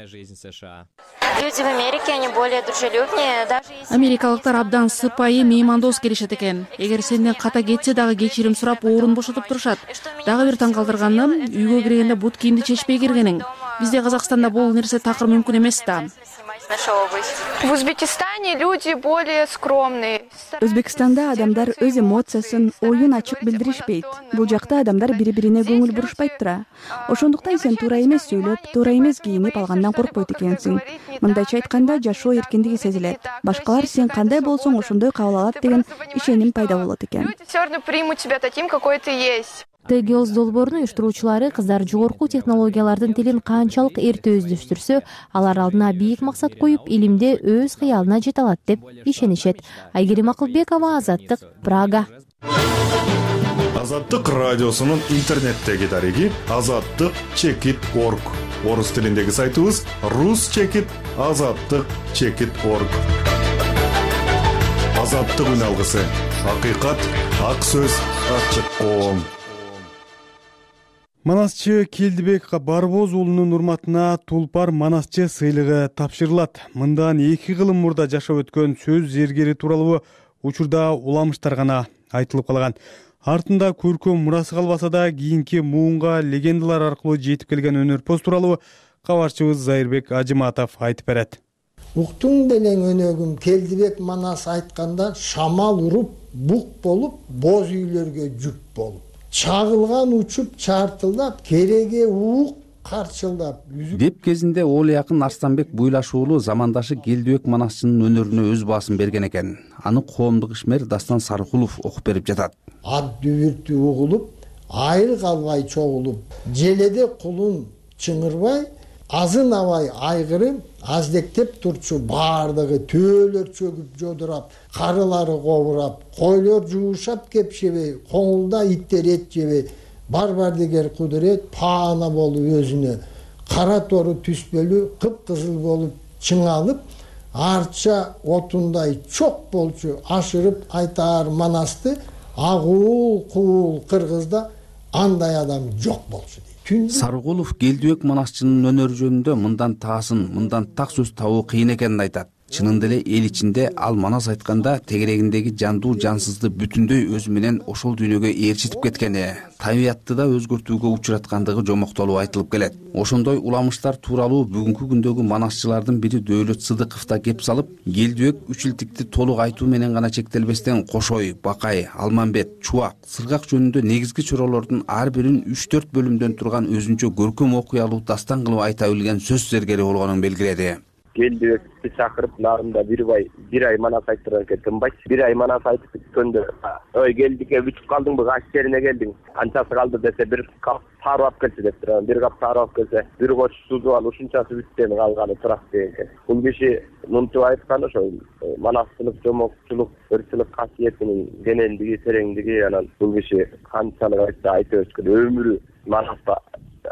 Люди в Америке, они более дружелюбнее, даже если... Америкалыктар абдан сыпайы, меймандос келишет экен. Эгер сенден ката кетсе дагы кечирим сурап, орун бошотуп турушат. Дагы бир таң калтырганы, үйгө киргенде бут кийимди чечпей киргениң. Бизде Казакстанда бул нерсе такыр мүмкүн эмес да. В Узбекистане люди более скромные. Өзбекстанда адамдар өз эмоциясын, оюн ачык билдиришпейт. Бул жакта адамдар бири-бирине көңүл бурушпайт тура. Ошондуктан сен туура эмес сөйлөп, туура эмес кийинип алгандан коркпойт экенсиң. Мындайча айтканда, жашоо эркиндиги сезилет. Башкалар сен кандай болсоң ошондой кабыл алат деген ишеним пайда болот экен. Люди всё равно примут тебя таким, какой ты есть. Tech Girls долбоорунун уюштуруучулары кыздар жогорку технологиялардын тилин канчалык эрте өздөштүрсө, алар алдына бийик максат коюп, илимде өз кыялына жете алат деп ишенишет. Айгерим Акылбекова, Азаттык, Прага. Азаттык радиосунун интернеттеги дареги azattyk.org. Орус тилиндеги сайтыбыз rus.azattyk.org. Азаттык үн алгысы. Акыйкат, ак сөз, ачык коом. Манасчы Келдибек Барбоз уулунун урматына Тулпар Манасчы сыйлыгы тапшырылат. Мындан 2 кылым мурда жашап өткөн сөз зергери тууралуу учурда уламыштар гана айтылып калган. Артында көркөм мурасы калбаса да, кийинки муунга легендалар аркылуу жетип келген өнөрпоз тууралуу кабарчыбыз Зайырбек Ажыматов айтып берет. Уктуң белең өнөгүм Келдибек Манас айтканда, шамал уруп, бук болуп, боз үйлөргө жүк болуп. Чагылган учуп чартылдап, кереге уук карчылдап. Деп кезинде Оли Акын Арстанбек Буйлаш уулу замандашы Келдибек Манасчынын өнөрүнө өз баасын берген экен. Аны коомдук ишмер Дастан Сарыкулов окуп берип жатат. Ат дүбүртү угулуп, айыл калбай чогулуп, желеде кулун чыңырбай, азын абай айгырып, аздектеп турчу баардыгы төөлөр чөгүп жодурап, карылары кобурап, койлор жуушап кепшебей, коңулда иттер эт жебей, бар дегер кудурет паана болуп өзүнө, кара тору түспөлү кыпкызыл болуп чыңалып, арча отундай чок болчу ашырып айтаар Манасты, агуул куул кыргызда андай адам жок болчу. Сарыкулов Келдибек Манасчынын өнөрү жөнүндө мындан таасын, мындан так сөз табуу кыйын экенин айтат. Чынында эле эл ичинде ал Манас айтканда тегерегиндеги жандуу жансызды бүтүндөй өзү менен ошол дүйнөгө ээрчитип кеткени, табиятты да өзгөртүүгө учураткандыгы жомоктолуп айтылып келет. Ошондой уламыштар тууралуу бүгүнкү күндөгү манасчылардын бири Дөөлөт Сыдыков да кеп салып, Келдибек үчилтикти толук айтуу менен гана чектелбестен Кошой, Бакай, Алмамбет, Чубак, Сыргак жөнүндө негизги чоролордун ар бирин 3-4 бөлүмдөн турган өзүнчө көркөм окуялуу дастан кылып айта билген сөз зергери болгонун белгиледи. Келдибекти чакырып, нарында бир ай Манас айттырган экен, тынбайт. Бир ай Манас айтып бүткөндө, ой Келдибекке бүтүп калдыңбы, кайсы жерине келдиң? Канчасы калды десе, бир кап тарып алып келчи деп турган. Бир кап тарып алып келсе, бир коч сузуп ал, ушунчасы бүттен калганы турат деген экен. Бул киши мынтип айткан ошо манасчылык, жомокчулук, ырчылык касиетинин кенендиги, тереңдиги, анан бул киши канчалык айтса айта өткөн өмүрү Манаста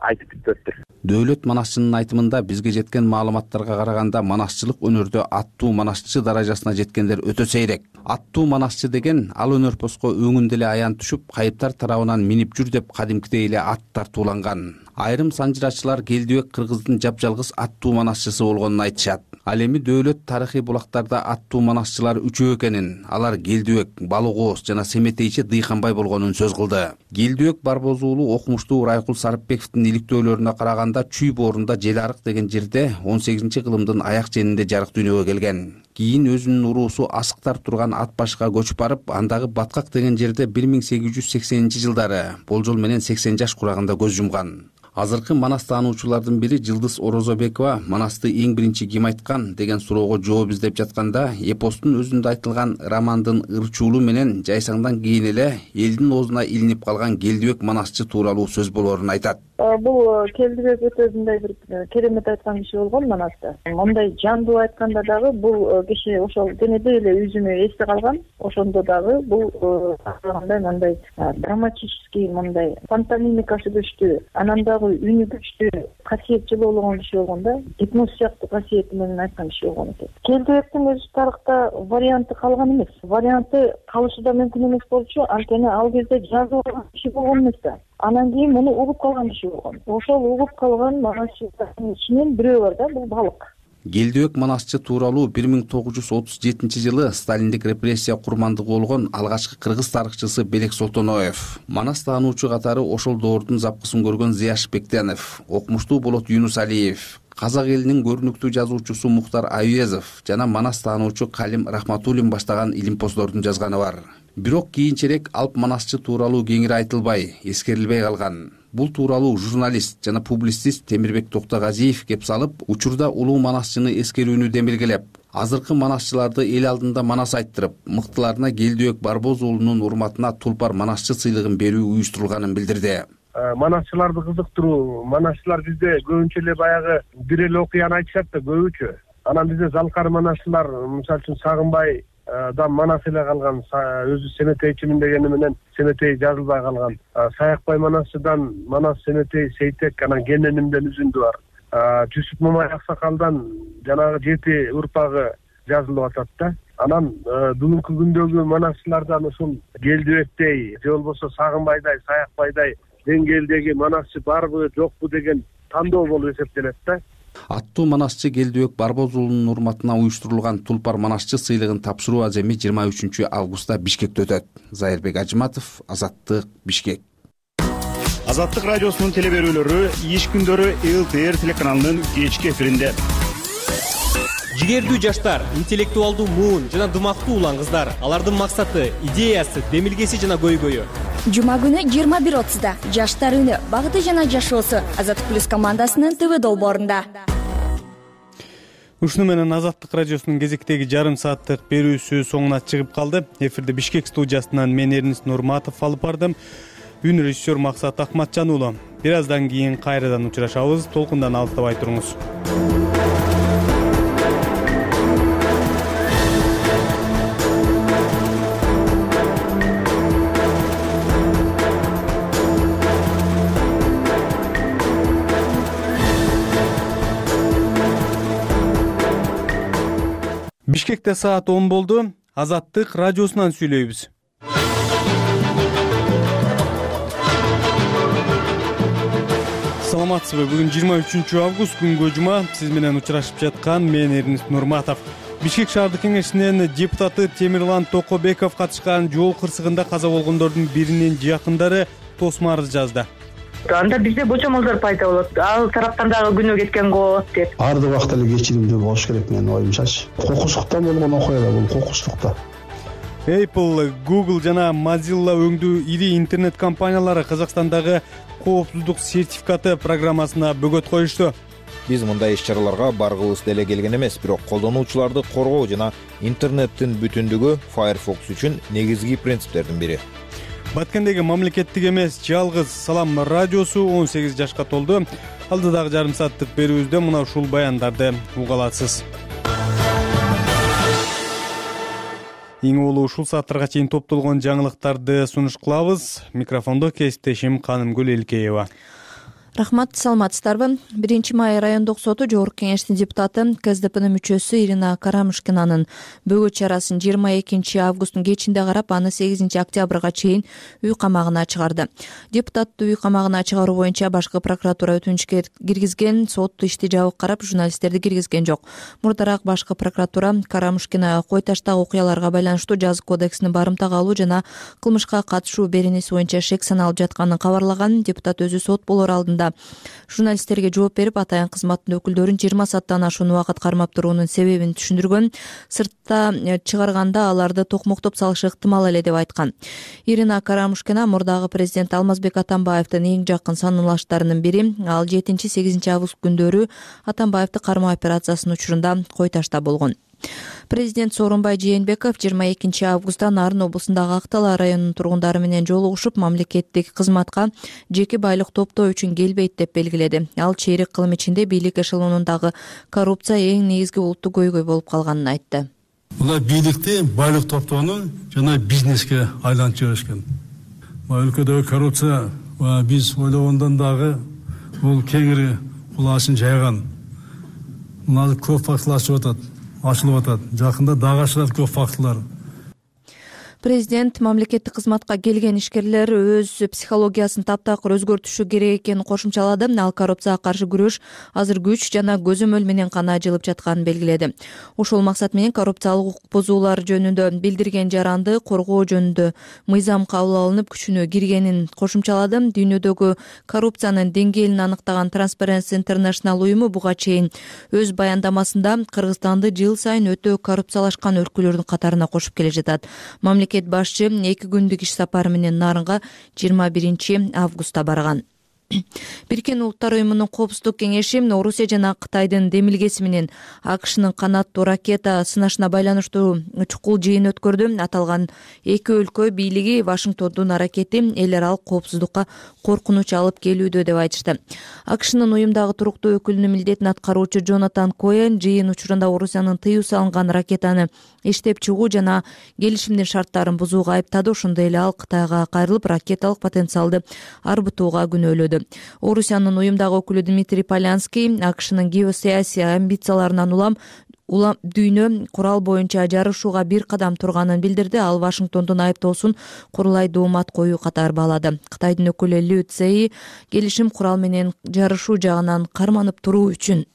айтып бүттүр. Дөөлөт Манасчынын айтымында бизге жеткен маалыматтарга караганда манасчылык өнөрдө аттуу манасчы даражасына жеткендер өтө сейрек. Аттуу манасчы деген ал өнөрпоско өңүндө эле аян түшүп, кайыптар тарабынан минип жүр деп кадимкидей эле ат тартууланган. Айрым санжырачылар Келдибек кыргыздын жапжалгыз аттуу манасчысы болгонун айтышат. Ал эми Дөөлөт тарыхый булактарда аттуу манасчылар 3 экенин, алар Келдибек, Балык Ооз жана Семетейчи Дыйканбай болгонун сөз кылды. Келдибек Барбоз уулу окумуштуу Райкул Сарыпбековдун иликтөөлөрүнө караганда Чүй боорунда Желарык деген жерде 18-кылымдын аяк ченинде жарык дүйнөгө келген. Кийин өзүнүн уруусу Асыктар турган ат башка көчүп барып, андагы Баткак деген жерде 1880-жылдары болжол менен 80 жаш курагында көз жумган. Азыркы Манас таануучулардын бири Жылдыз Орозобекова Манасты эң биринчи ким айткан деген суроого жооп издеп жатканда, эпостун өзүндө айтылган романдын ырчуулу менен жайсаңдан кийин эле элдин оозуна илинип калган Келдибек Манасчы тууралуу сөз болорун айтат. Бул Келдибек өтөзүндөй бир керемет айткан киши болгон Манасты. Мондай жандуу айтканда дагы бул киши ошол денедей эле үзүнө эсте калган. Ошондо дагы бул мындай драматический, мындай пантомимикасы күчтүү, анан дагы үнү күчтүү, касиетчил болгон киши болгон да, гипноз сыяктуу касиети менен айткан киши болгон экен. Келдибектин өзү тарыхта варианты калган эмес. Варианты калышы да мүмкүн эмес болчу, анткени ал кезде жазуу киши болгон эмес да. Анан кийин муну угуп калган киши болгон. Ошол угуп калган манасчылардын ичинен бирөө бар да, бул Балык. Келдибек Манасчы тууралуу 1937-жылы Сталиндик репрессия курмандыгы болгон алгачкы кыргыз тарыхчысы Белек Солтоноев, Манас таануучу катары ошол доордун запкысын көргөн Зияш Бектенов, окумуштуу Болот Юнусалиев, казак элинин көрүнүктүү жазуучусу Мухтар Аюезов жана Манас таануучу Калим Рахматуллин баштаган илимпоздордун жазганы бар. Бирок кийинчерээк Алп Манасчы тууралуу кеңири айтылбай, эскерилбей калган. Бул тууралуу журналист жана публицист Темирбек Токтогазиев кеп салып, учурда улуу манасчыны эскерүүнү демилгелеп, азыркы манасчыларды эл алдында манас айттырып, мыктыларына Келдибек Барбоз уулунун урматына Тулпар Манасчы сыйлыгын берүү уюштурулганын билдирди. Манасчыларды кызыктыруу, манасчылар бизде көбүнчө эле баягы бир эле окуяны айтышат да көбүнчө. Анан бизде залкар манасчылар, мисалы үчүн Сагынбай да Манас эле калган, өзү Семетейчимин дегени менен Семетей жазылбай калган. Саякбай Манасчыдан Манас, Семетей, Сейтек, анан Кененимден үзүндү бар. Жүсүп Мамай Аксакалдан жанагы 7 урпагы жазылып атат да. Анан бүгүнкү күндөгү манасчылардан ушул Келдибектей же болбосо Сагынбайдай, Саякбайдай деңгээлдеги манасчы барбы жокпу деген тандоо болуп эсептелет да. Аттуу манасчы Келдибек Барбоз уулунун урматына уюштурулган Тулпар манасчы сыйлыгын тапшыруу аземи 23 августта Бишкекте өтөт. Зайырбек Ажыматов, Азаттык, Бишкек. Азаттык радиосунун телеберүүлөрү иш күндөрү ЛТР телеканалынын кечки эфиринде. Жигердүү жаштар, интеллектуалдуу муун жана дымактуу улан кыздар, алардын максаты, идеясы, демилгеси жана көйгөйү. Жума күнү 21:30 Жаштар үнү, багыты жана жашоосу Азаттык плюс командасынын ТВ долбоорунда. Ушуну менен Азаттык радиосунун кезектеги жарым сааттык берүүсү соңуна чыгып калды. Эфирде Бишкек студиясынан мен Эрнис Нурматов алып бардым. Үн режиссер Максат Акматжан уулу. Бир аздан кийин кайрадан учурашабыз. Толкундан алыстабай туруңуз. Бишкекте саат 10 болду. Азаттык радиосунан сүйлөйбүз. Саламатсызбы? Бүгүн 23 август күнгө жума. Сиз менен учурашып жаткан мен Эрнис Нурматов. Бишкек шаардык кеңешинин депутаты Темирлан Токобеков катышкан жол кырсыгында каза болгондордун биринин жакындары тосмо арыз жазды. Анда бизде бочомолдор пайда болот. Ал тараптан дагы күнөө кеткен го деп. Арды убакта эле кечиримдүү болуш керек менин оюмчачы. Кокуштукта болгон окуя да бул кокуштукта. Apple, Google жана Mozilla өңдүү ири интернет компаниялары Казакстандагы коопсуздук сертификаты программасына бөгөт коюшту. Биз мындай иш-чараларга баргыбыз деле келген эмес, бирок колдонуучуларды коргоо жана интернеттин бүтүндүгү Firefox үчүн негизги принциптердин бири. Баткендеги мамлекеттик эмес жалгыз Салам радиосу 18 жашка толду. Алдыдагы жарым сааттык берүүбүздө мына ушул баяндарды уга аласыз. Эң улуу ушул сааттарга чейин топтолгон жаңылыктарды сунуш кылабыз. Микрофондо кесиптешим Канымгүл Элкеева. Рахмат, саламатсыздарбы? 1-май райондук соту жогорку кеңештин депутаты КСДПнын мүчөсү Ирина Карамышкинанын бөгөт чарасын 22 августтун кечинде карап, аны 8 октябрга чейин үй камагына чыгарды. Депутатты үй камагына чыгаруу боюнча башкы прокуратура өтүнүчкө киргизген, сот ишти жабык карап, журналисттерди киргизген жок. Мурдараак башкы прокуратура Карамышкина Кой Таштагы окуяларга байланыштуу жазык кодексинин барымтага алуу жана кылмышка катышуу беренеси боюнча шек саналып жатканын кабарлаган. Депутат өзү сот болор алдында журналисттерге жооп берип, атайын кызматтын өкүлдөрүн 20 сааттан ашуун убакыт кармап туруунун себебин түшүндүргөн. Сыртта чыгарганда аларды токмоктоп салышы ыктымал эле деп айткан. Ирина Карамышкина мурдагы президент Алмазбек Атамбаевдин эң жакын санаалаштарынын бири. Ал 7-8 август күндөрү Атамбаевди кармоо операциясынын учурунда Кой Ташта болгон. Президент Сооронбай Жээнбеков 22 августта Нарын облусундагы Актала районунун тургундары менен жолугушуп, мамлекеттик кызматка жеке байлык топтоо үчүн келбейт деп белгиледи. Ал чейрек кылым ичинде бийлик эшелонундагы коррупция эң негизги улуттук көйгөй болуп калганын айтты. Булар бийликти байлык топтоону жана бизнеске айлантып жиберишкен. Өлкөдөгү коррупция биз ойлогондон дагы бул кеңири кулаасын жайган. Мына көп фактылар чыгып атат. Ашылып атат. Жакында дагы ашылат көп фактылар. Президент мамлекеттик кызматка келген ишкерлер өз психологиясын таптакыр өзгөртүшү керек экенин кошумчалады. Ал коррупцияга каршы күрөш азыр күч жана көзөмөл менен гана жылып жатканын белгиледи. Ошол максат менен коррупциялык укук бузуулар жөнүндө билдирген жаранды коргоо жөнүндө мыйзам кабыл алынып күчүнө киргенин кошумчалады. Дүйнөдөгү коррупциянын деңгээлин аныктаган Transparency International уюму буга чейин өз баяндамасында Кыргызстанды жыл сайын өтө коррупциялашкан өлкөлөрдүн катарына кошуп келе жатат. Мамлекет башчы 2 күндүк иш сапары менен Нарынга 21 августта барган. Бириккен Улуттар уюмунун коопсуздук кеңеши Орусия жана Кытайдын демилгеси менен АКШнын канаттуу ракета сынашына байланыштуу чукул жыйын өткөрдү. Аталган эки өлкө бийлиги Вашингтондун аракети эл аралык коопсуздукка коркунуч алып келүүдө деп айтышты. АКШнын уюмдагы туруктуу өкүлүнүн милдетин аткаруучу Джонатан Коэн жыйын учурунда Орусиянын тыюу салынган ракетаны иштеп чыгуу жана келишимдин шарттарын бузууга айыптады. Ошондой эле ал Кытайга кайрылып, ракеталык потенциалды арбытууга күнөөлөдү. Орусиянын уюмдагы өкүлү Дмитрий Полянский АКШнын геосаясий амбицияларынан улам дүйнө курал боюнча жарышууга бир кадам турганын билдирди. Ал Вашингтондун айыптоосун курулай доомат коюу катары баалады. Кытайдын өкүлү Лю Цзеи келишим курал менен жарышуу жагынан карманып туруу үчүн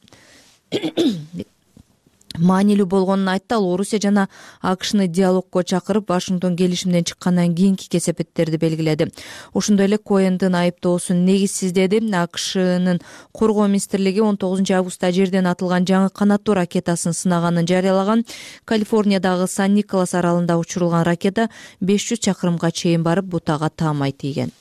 маанилүү болгонун айтты. Ал Орусия жана АКШны диалогко чакырып, Вашингтон келишимден чыккандан кийинки кесепеттерди белгиледи. Ошондой эле Коэндин айыптоосун негизсиз деди. АКШнын коргоо министрлиги 19 августта жерден атылган жаңы канаттуу ракетасын сынаганын жарыялаган. Калифорниядагы Сан-Николас аралында учурулган ракета 500 чакырымга чейин барып, бутага таамай тийген.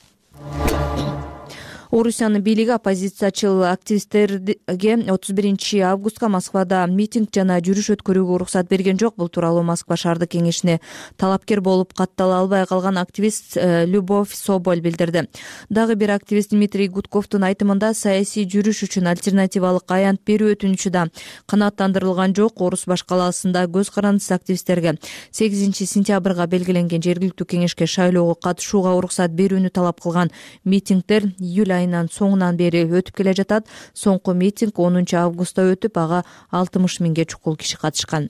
Орусиянын бийлиги оппозициячыл активисттерге 31 августка Москвада митинг жана жүрүш өткөрүүгө уруксат берген жок. Бул тууралуу Москва шаардык кеңешине талапкер болуп каттала албай калган активист Любовь Соболь билдирди. Дагы бир активист Дмитрий Гудковдун айтымында саясий жүрүш үчүн альтернативалык аянт берүү өтүнүчү да канааттандырылган жок. Орус баш калаасында көз карандысыз активисттерге 8 сентябрга белгиленген жергиликтүү кеңешке шайлоого катышууга уруксат берүүнү талап кылган митингдер июль айынын соңунан бери өтүп келе жатат. Соңку митинг 10 августта өтүп, ага 60 миңге чукул киши катышкан.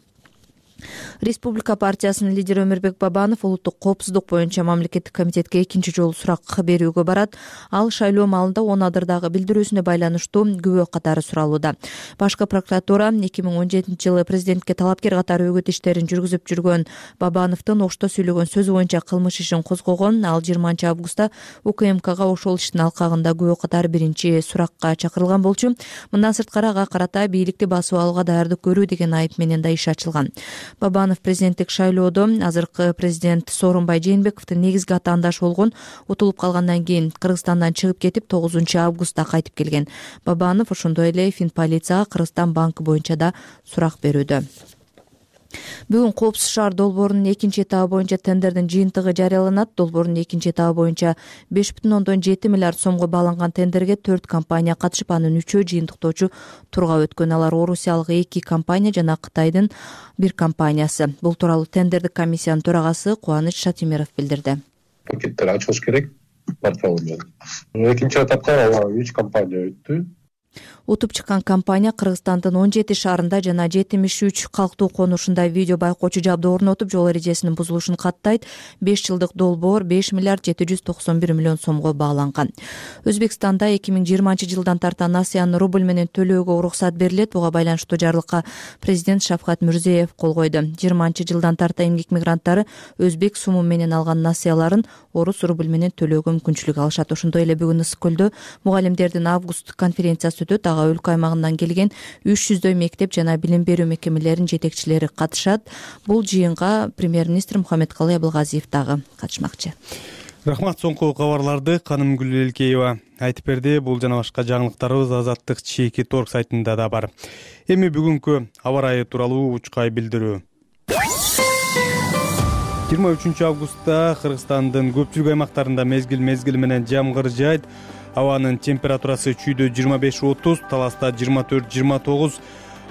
Республика партиясынын лидери Өмүрбек Бабанов улуттук коопсуздук боюнча мамлекеттик комитетке экинчи жолу сурак берүүгө барат. Ал шайлоо маалында 10 адырдагы билдирүүсүнө байланыштуу күбө катары суралууда. Башкы прокуратура 2017-жылы президентке талапкер катары өгөт иштерин жүргүзүп жүргөн Бабановдун ошто сүйлөгөн сөзү боюнча кылмыш ишин козгогон. Ал 20 августта УКМКга ошол иштин алкагында күбө катары биринчи суракка чакырылган болчу. Мындан сырткары ага карата бийликти басып алууга даярдык көрүү деген айып менен да иш ачылган. Бабанов президенттик шайлоодо азыркы президент Сооронбай Жээнбековдун негизги атаандашы болгон. Утулуп калгандан кийин Кыргызстандан чыгып кетип 9 августта кайтып келген. Бабанов ошондой эле Финполицияга Кыргызстан банкы боюнча да сурак берүүдө. Бүгүн Коопсуз шаар долбоорунун экинчи этабы боюнча тендердин жыйынтыгы жарыяланат. Долбоордун экинчи этабы боюнча 5,7 миллиард сомго бааланган тендерге 4 компания катышып, анын 3-өө жыйынтыктоочу турга өткөн. Алар орусиялык 2 компания жана Кытайдын 1 компаниясы. Бул тууралуу тендердик комиссиянын төрагасы Кубаныч Шатимиров билдирди. Пакеттер ачылыш керек портфель менен. Экинчи этапта 3 компания өттү. Утуп чыккан компания Кыргызстандын 17 шаарында жана 73 калктуу конушунда видео байкоочу жабдуу орнотуп, жол эрежесинин бузулушун каттайт. 5 жылдык долбоор 5 миллиард 791 миллион сомго бааланган. Өзбекстанда 2020 жылдан тарта насыяны рубль менен төлөөгө уруксат берилет. Буга байланыштуу жарлыкка президент Шавкат Мирзиеев кол койду. 20 жылдан тарта эмгек мигранттары өзбек суму менен алган насыяларын орус рубль менен төлөөгө мүмкүнчүлүк алышат. Ошондой эле бүгүн Ысык көлдө мугалимдердин август конференциясы өтөт. Ага өлкө аймагынан келген 300дөй мектеп жана билим берүү мекемелеринин жетекчилери катышат. Бул жыйынга премьер-министр Мухаммедкалый Абылгазиев дагы катышмакчы. Рахмат, соңку кабарларды Каным Гүлэлкеева айтып берди. Бул жана башка жаңылыктарыбыз Азаттык Чекит Орг сайтында да бар. Эми бүгүнкү аба ырайы тууралуу учкай билдирүү. 23 августта Кыргызстандын көпчүлүк аймактарында мезгил менен жамгыр жаайт. Абанын температурасы чүйдө 25-30, Таласта 24-29,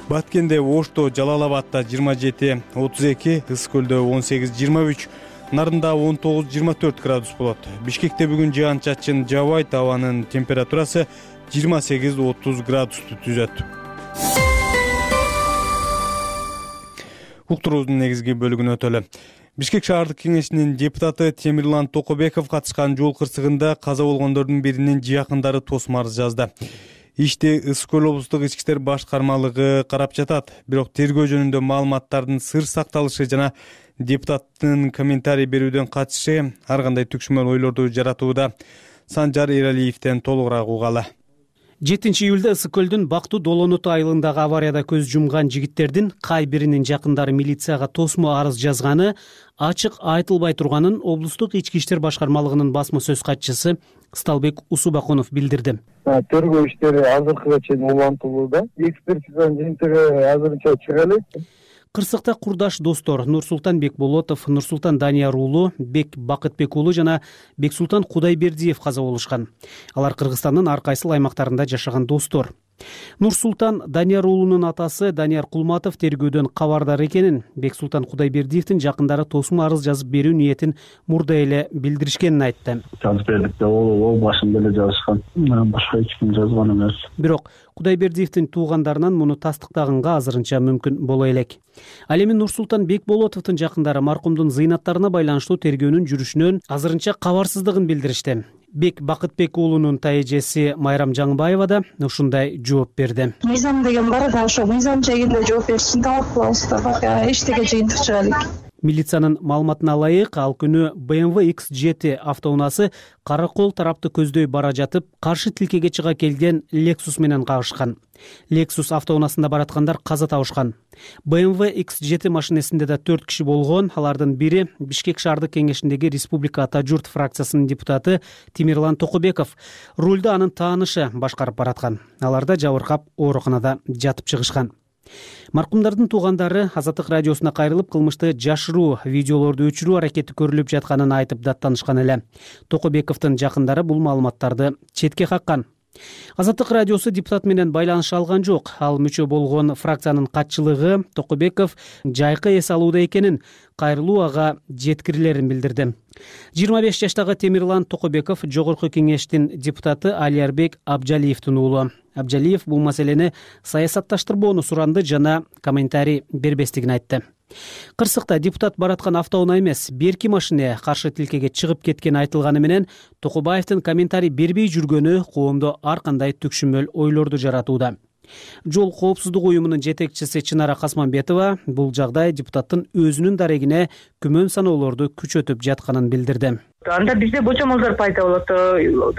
Баткенде, Ошто, Жалал-Абадта 27-32, Ысык көлдө 18-23, Нарында 19-24 градус болот. Бишкекте бүгүн жаан-чачын жаабайт, абанын температурасы 28-30 градусту түзөт. Уктуруубуздун негизги бөлүгүнө өтөлү. Бишкек шаардык кеңешинин депутаты Темирлан Токобеков катышкан жол кырсыгында каза болгондордун биринин жакындары тосмо арыз жазды. Ишти Ысык көл облустук ички иштер башкармалыгы карап жатат. Бирок тергөө жөнүндө маалыматтардын сыр сакталышы жана депутаттын комментарий берүүдөн качышы ар кандай түкшмөр ойлорду жаратууда. Санжар Эралиевден толугураак угалы. 7 июлда Ысык көлдүн Бактуу Долонуту айылындагы аварияда көз жумган жигиттердин кай биринин жакындары милицияга тосмо арыз жазганы ачык айтылбай турганын облустук ички иштер башкармалыгынын басма сөз катчысы Сталбек Усубаконов билдирди. Тергөө иштери азыркыга чейин улантылууда. Экспертизанын жыйынтыгы азырынча чыга элек. Кырсыкта курдаш достор Нурсултан Бекболотов, Нурсултан Данияр уулу, Бек Бакытбек уулу жана Бексултан Кудайбердиев каза болушкан. Алар Кыргызстандын ар кайсыл аймактарында жашаган достор. Нурсултан Данияр уулунун атасы Данияр Кулматов тергөөдөн кабардар экенин, Бексултан Кудайбердиевдин жакындары тосмо арыз жазып берүү ниетин мурда эле билдиришкенин айтты. Жазып бердик да, ол башында эле жазышкан. Башка эч ким жазган эмес. Бирок Кудайбердиевдин туугандарынан муну тастыктаганга азырынча мүмкүн боло элек. Ал эми Нурсултан Бекболотовдун жакындары маркумдун зыйнаттарына байланыштуу тергөөнүн жүрүшүнөн азырынча кабарсыздыгын билдиришти. Бек Бакытбек уулунун тайэжеси Майрам Жаңбаева да ушундай жооп берди. Мыйзам деген бар да, ошо мыйзам жайында жооп беришин талап кылабыз да, эчтеке жыйынтык чыга элек. Милициянын маалыматына ылайык, ал күнү BMW X7 автоунаасы Каракол тарапты көздөй бара жатып, каршы тилкеге чыга келген Lexus менен кагышкан. Lexus автоунаасында бараткандар каза табышкан. BMW X7 машинесинде да 4 киши болгон. Алардын бири Бишкек шаардык кеңешиндеги Республика Ата журт фракциясынын депутаты Тимирлан Токобеков. Рулду анын таанышы башкарып бараткан. Аларда жабыркап ооруканада жатып чыгышкан. Маркумдардын туугандары Азаттык радиосуна кайрылып, кылмышты жашыруу видеолорду өчүрүү аракети көрүлүп жатканын айтып даттанышкан эле. Токобековдун жакындары бул маалыматтарды четке каккан. Азаттык радиосу депутат менен байланыша алган жок. Ал мүчө болгон фракциянын катчылыгы Токобеков жайкы эс алууда экенин, кайрылуу ага жеткирилерин билдирди. 25 жаштагы Темирлан Токобеков жогорку кеңештин депутаты Алиярбек Абжалиевдин уулу. Абжалиев бул маселени саясатташтырбоону суранды жана комментарий бербестигин айтты. Кырсыкта депутат бараткан автоунаа эмес, берки машине каршы тилкеге чыгып кеткени айтылганы менен Токобаевдин комментарий бербей жүргөнү коомдо ар кандай түкшүмөл ойлорду жаратууда. Жол коопсуздук уюмунун жетекчиси Чынара Касманбетова бул жагдай депутаттын өзүнүн дарегине күмөн саноолорду күчөтүп жатканын билдирди. Анда бизде бочомолдор пайда болот.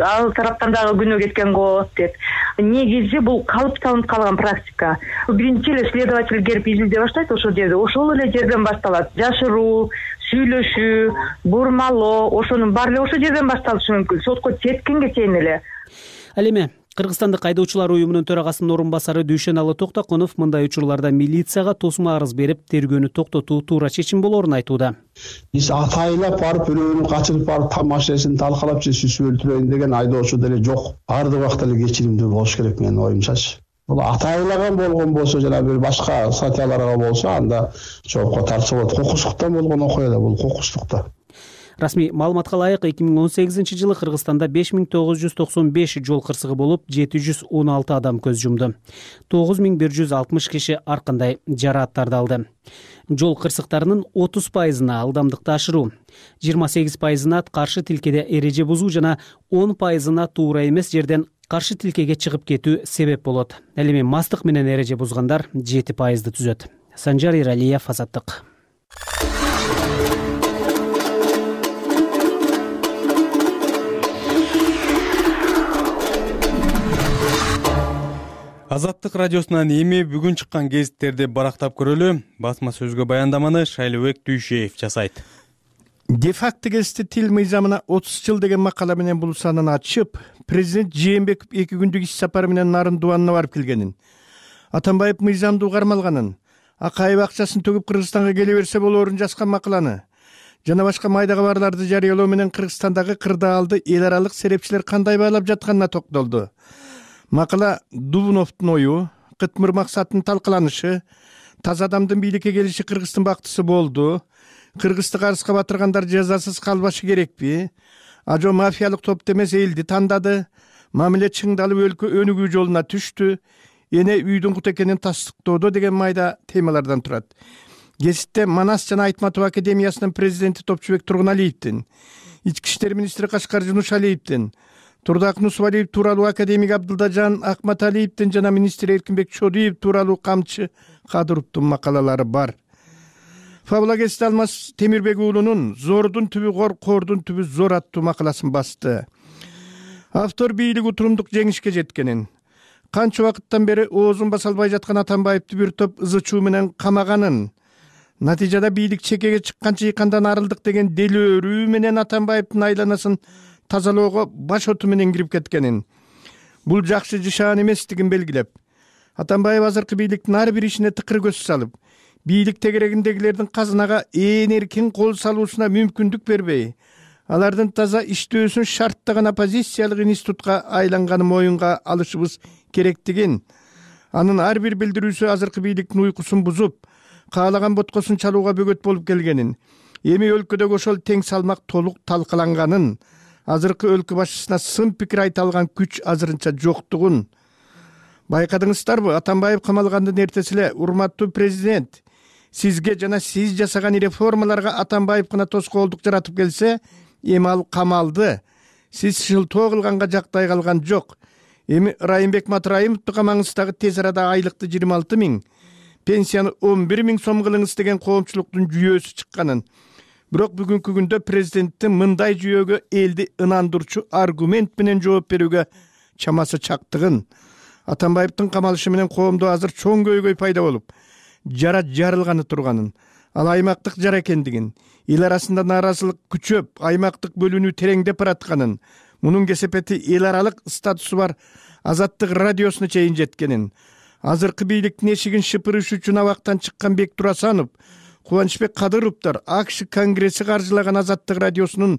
Ал тараптан дагы күнөө кеткен го деп. Негизи бул калыптанып калган практика. Биринчи эле следователь келип изилдей баштайт ошол жерде. Ошол эле жерден башталат. Жашыруу, сүйлөшүү, бурмалоо, ошонун баары эле ошол жерден башталышы мүмкүн. Сотко жеткенге чейин эле. Ал эми Кыргызстандык айдоочулар уюмунун төрагасынын орун басары Дүйшеналы Токтоконов мындай учурларда милицияга тосмо арыз берип, тергөөнү токтотуу туура чечим болоорун айтууда. Биз атайлап барып бирөөнүн качырып барып машинесин талкалап же сүзүп өлтүрөйүн деген айдоочу деле жок. Баардык убакта эле кечиримдүү болуш керек менин оюмчачы. Бул атайлаган болгон болсо жана бир башка статьяларга болсо анда жоопко тартса болот. Кокустуктан болгон окуя да бул кокустукта. Расмий маалыматка ылайык 2018-жылы Кыргызстанда 5995 жол кырсыгы болуп, 716 адам көз жумду. 9160 киши ар кандай жарааттарды алды. Жол кырсыктарынын 30%-на ылдамдыкты ашыруу, 28%-на каршы тилкеде эреже бузуу жана 10%-на туура эмес жерден каршы тилкеге чыгып кетүү себеп болот. Ал эми мастык менен эреже бузгандар 7%-ды түзөт. Санжар Иралиев, Азаттык. Азаттык радиосунан эми бүгүн чыккан гезиттерди барактап көрөлү. Басма сөзгө баяндаманы Шайлыбек Дүйшеев жасайт. Де-факто гезити тил мыйзамына 30 жыл деген макала менен бул санын ачып, президент Жээнбеков 2 күндүк иш сапары менен Нарын дубанына барып келгенин, Атамбаев мыйзамды угармалганын, Акаев акчасын төгүп Кыргызстанга келе берсе болоорун жазган макаланы жана башка майда кабарларды жарыялоо менен Кыргызстандагы кырдаалды эл аралык серепчилер кандай баалап жатканына токтолду. Макала Дубуновдун ою, Кытмыр максаттын талкаланышы, таза адамдын бийликке келиши Кыргыздын бактысы болду, Кыргызды карызга батыргандар жазасыз калбашы керекпи, ажо мафиялык топ эмес элди тандады, мамиле чыңдалып өлкө өнүгүү жолуна түштү, эне үйдүн кут экенин тастыктоодо деген майда темалардан турат. Гезитте Манас жана Айтматов академиясынын президенти Топчубек Тургуналиевдин, ички иштер министри Кашкар Жунушалиевдин, Турдак Нусвалиев тууралуу академик Абдылдажан Акматалиевдин жана министр Эркинбек Чодиев тууралуу камчы Кадыровдун макалалары бар. Фабула гезити Алмаз Темирбек уулунун Зордун түбү кор, кордун түбү зор аттуу макаласын басты. Автор бийлик утурумдук жеңишке жеткенин, канча убакыттан бери оозун баса албай жаткан Атамбаевди бир топ ызычуу менен камаганын, натыйжада бийлик чекеге чыккан чыйкандан арылдык деген делөөрүү менен Атамбаевдин айланасын тазалоого баш оту менен кирип кеткенин, бул жакшы жышаан эместигин белгилеп, Атамбаев азыркы бийликтин ар бир ишине тыкыр көз салып, бийлик тегерегиндегилердин казынага ээн эркин кол салуусуна мүмкүндүк бербей, алардын таза иштөөсүн шарттаган оппозициялык институтка айланганын моюнга алышыбыз керектигин, анын ар бир билдирүүсү азыркы бийликтин уйкусун бузуп, каалаган боткосун чалууга бөгөт болуп келгенин, эми өлкөдөгү ошол тең салмак толук талкаланганын, азыркы өлкө башчысына сын пикир айта алган күч азырынча жоктугун байкадыңыздарбы? Атамбаев камалгандын эртеси эле урматтуу президент, сизге жана сиз жасаган реформаларга Атамбаев гана тоскоолдук жаратып келсе, эми ал камалды. Сиз шылтоо кылганга жактай калган жок. Эми Райымбек Матраимовду камаңыз дагы тез арада айлыкты 26 000, пенсияны 11 000 сом кылыңыз деген коомчулуктун жүйөөсү чыкканын. Бирок бүгүнкү күндө президенттин мындай жүйөөгө элди ынандырчу аргумент менен жооп берүүгө чамасы чактыгын, Атамбаевдин камалышы менен коомдо азыр чоң көйгөй пайда болуп, жара жарылганы турганын, ал аймактык жара экендигин, эл арасында нааразылык күчөп, аймактык бөлүнүү тереңдеп баратканын, мунун кесепети эл аралык статусу бар Азаттык радиосуна чейин жеткенин, азыркы бийликтин эшигин шыпырыш үчүн абактан чыккан Бектур Асанов, Кубанычбек Кадыровдор АКШ конгресси каржылаган Азаттык радиосунун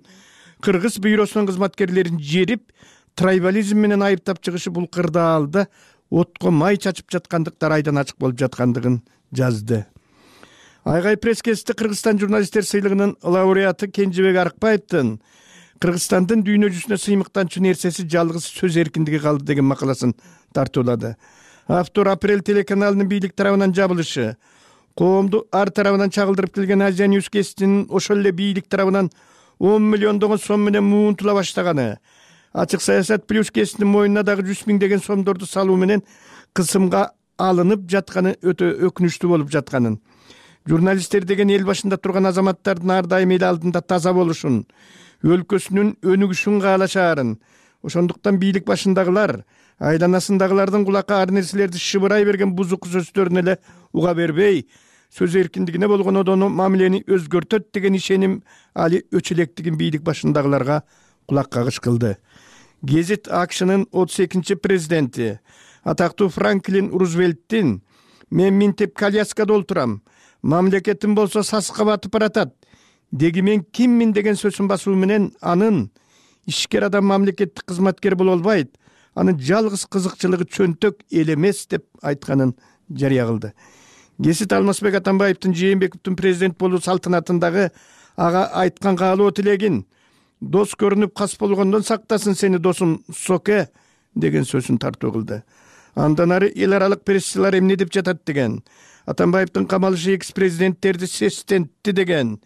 кыргыз бюросунун кызматкерлерин жерип, трайбализм менен айыптап чыгышы бул кырдаалда отко май чачып жаткандыктар айдан ачык болуп жаткандыгын жазды. Айгай пресс-кетти Кыргызстан журналисттер сыйлыгынын лауреаты Кенжебек Арыкбаевдин Кыргызстандын дүйнө жүзүнө сыймыктанчу нерсеси жалгыз сөз эркиндиги калды деген макаласын тартуулады. Автор Апрель телеканалынын бийлик тарабынан жабылышы, коомду ар тарабынан чагылдырып келген Азия Ньюс гезитинин ошол эле бийлик тарабынан 10 миллиондогон сом менен муунтула баштаганы, Ачык саясат плюс гезитинин мойнуна дагы 100 000 деген сомдорду салуу менен кысымга алынып жатканы өтө өкүнүчтүү болуп жатканын, журналисттер деген эл башында турган азаматтардын ар дайым эл алдында таза болушун, өлкөсүнүн өнүгүшүн каалашаарын, ошондуктан бийлик башындагылар айланасындагылардын кулакка ар нерселерди шыбырай берген бузук сөздөрүнө эле уга бербей, сөз эркиндигине болгон одону мамилени өзгөртөт деген ишеним али өчөлектигин бийлик башындагыларга кулак кагыш кылды. Гезит АКШнын 32-чи президенти, атактуу Франклин Рузвельттин «Мен минтеп коляскада олтурам, мамлекетим болсо саска батып баратат, деги мен киммин» деген сөзүн басуу менен анын ишкер адам мамлекеттик кызматкер боло албайт, анын жалгыз кызыкчылыгы чөнтөк эл эмес деп айтканын жарыя кылды. Гезит Алмазбек Атамбаевдин Жээнбековдун президент болуу салтанатындагы ага айткан каалоо тилегин «Дос көрүнүп кас болгондон сактасын сени досум соке» деген сөзүн тартуу кылды. Андан ары эл аралык прессчилар эмне деп жатат деген, Атамбаевдин камалышы экс-президенттерди сестентти деген,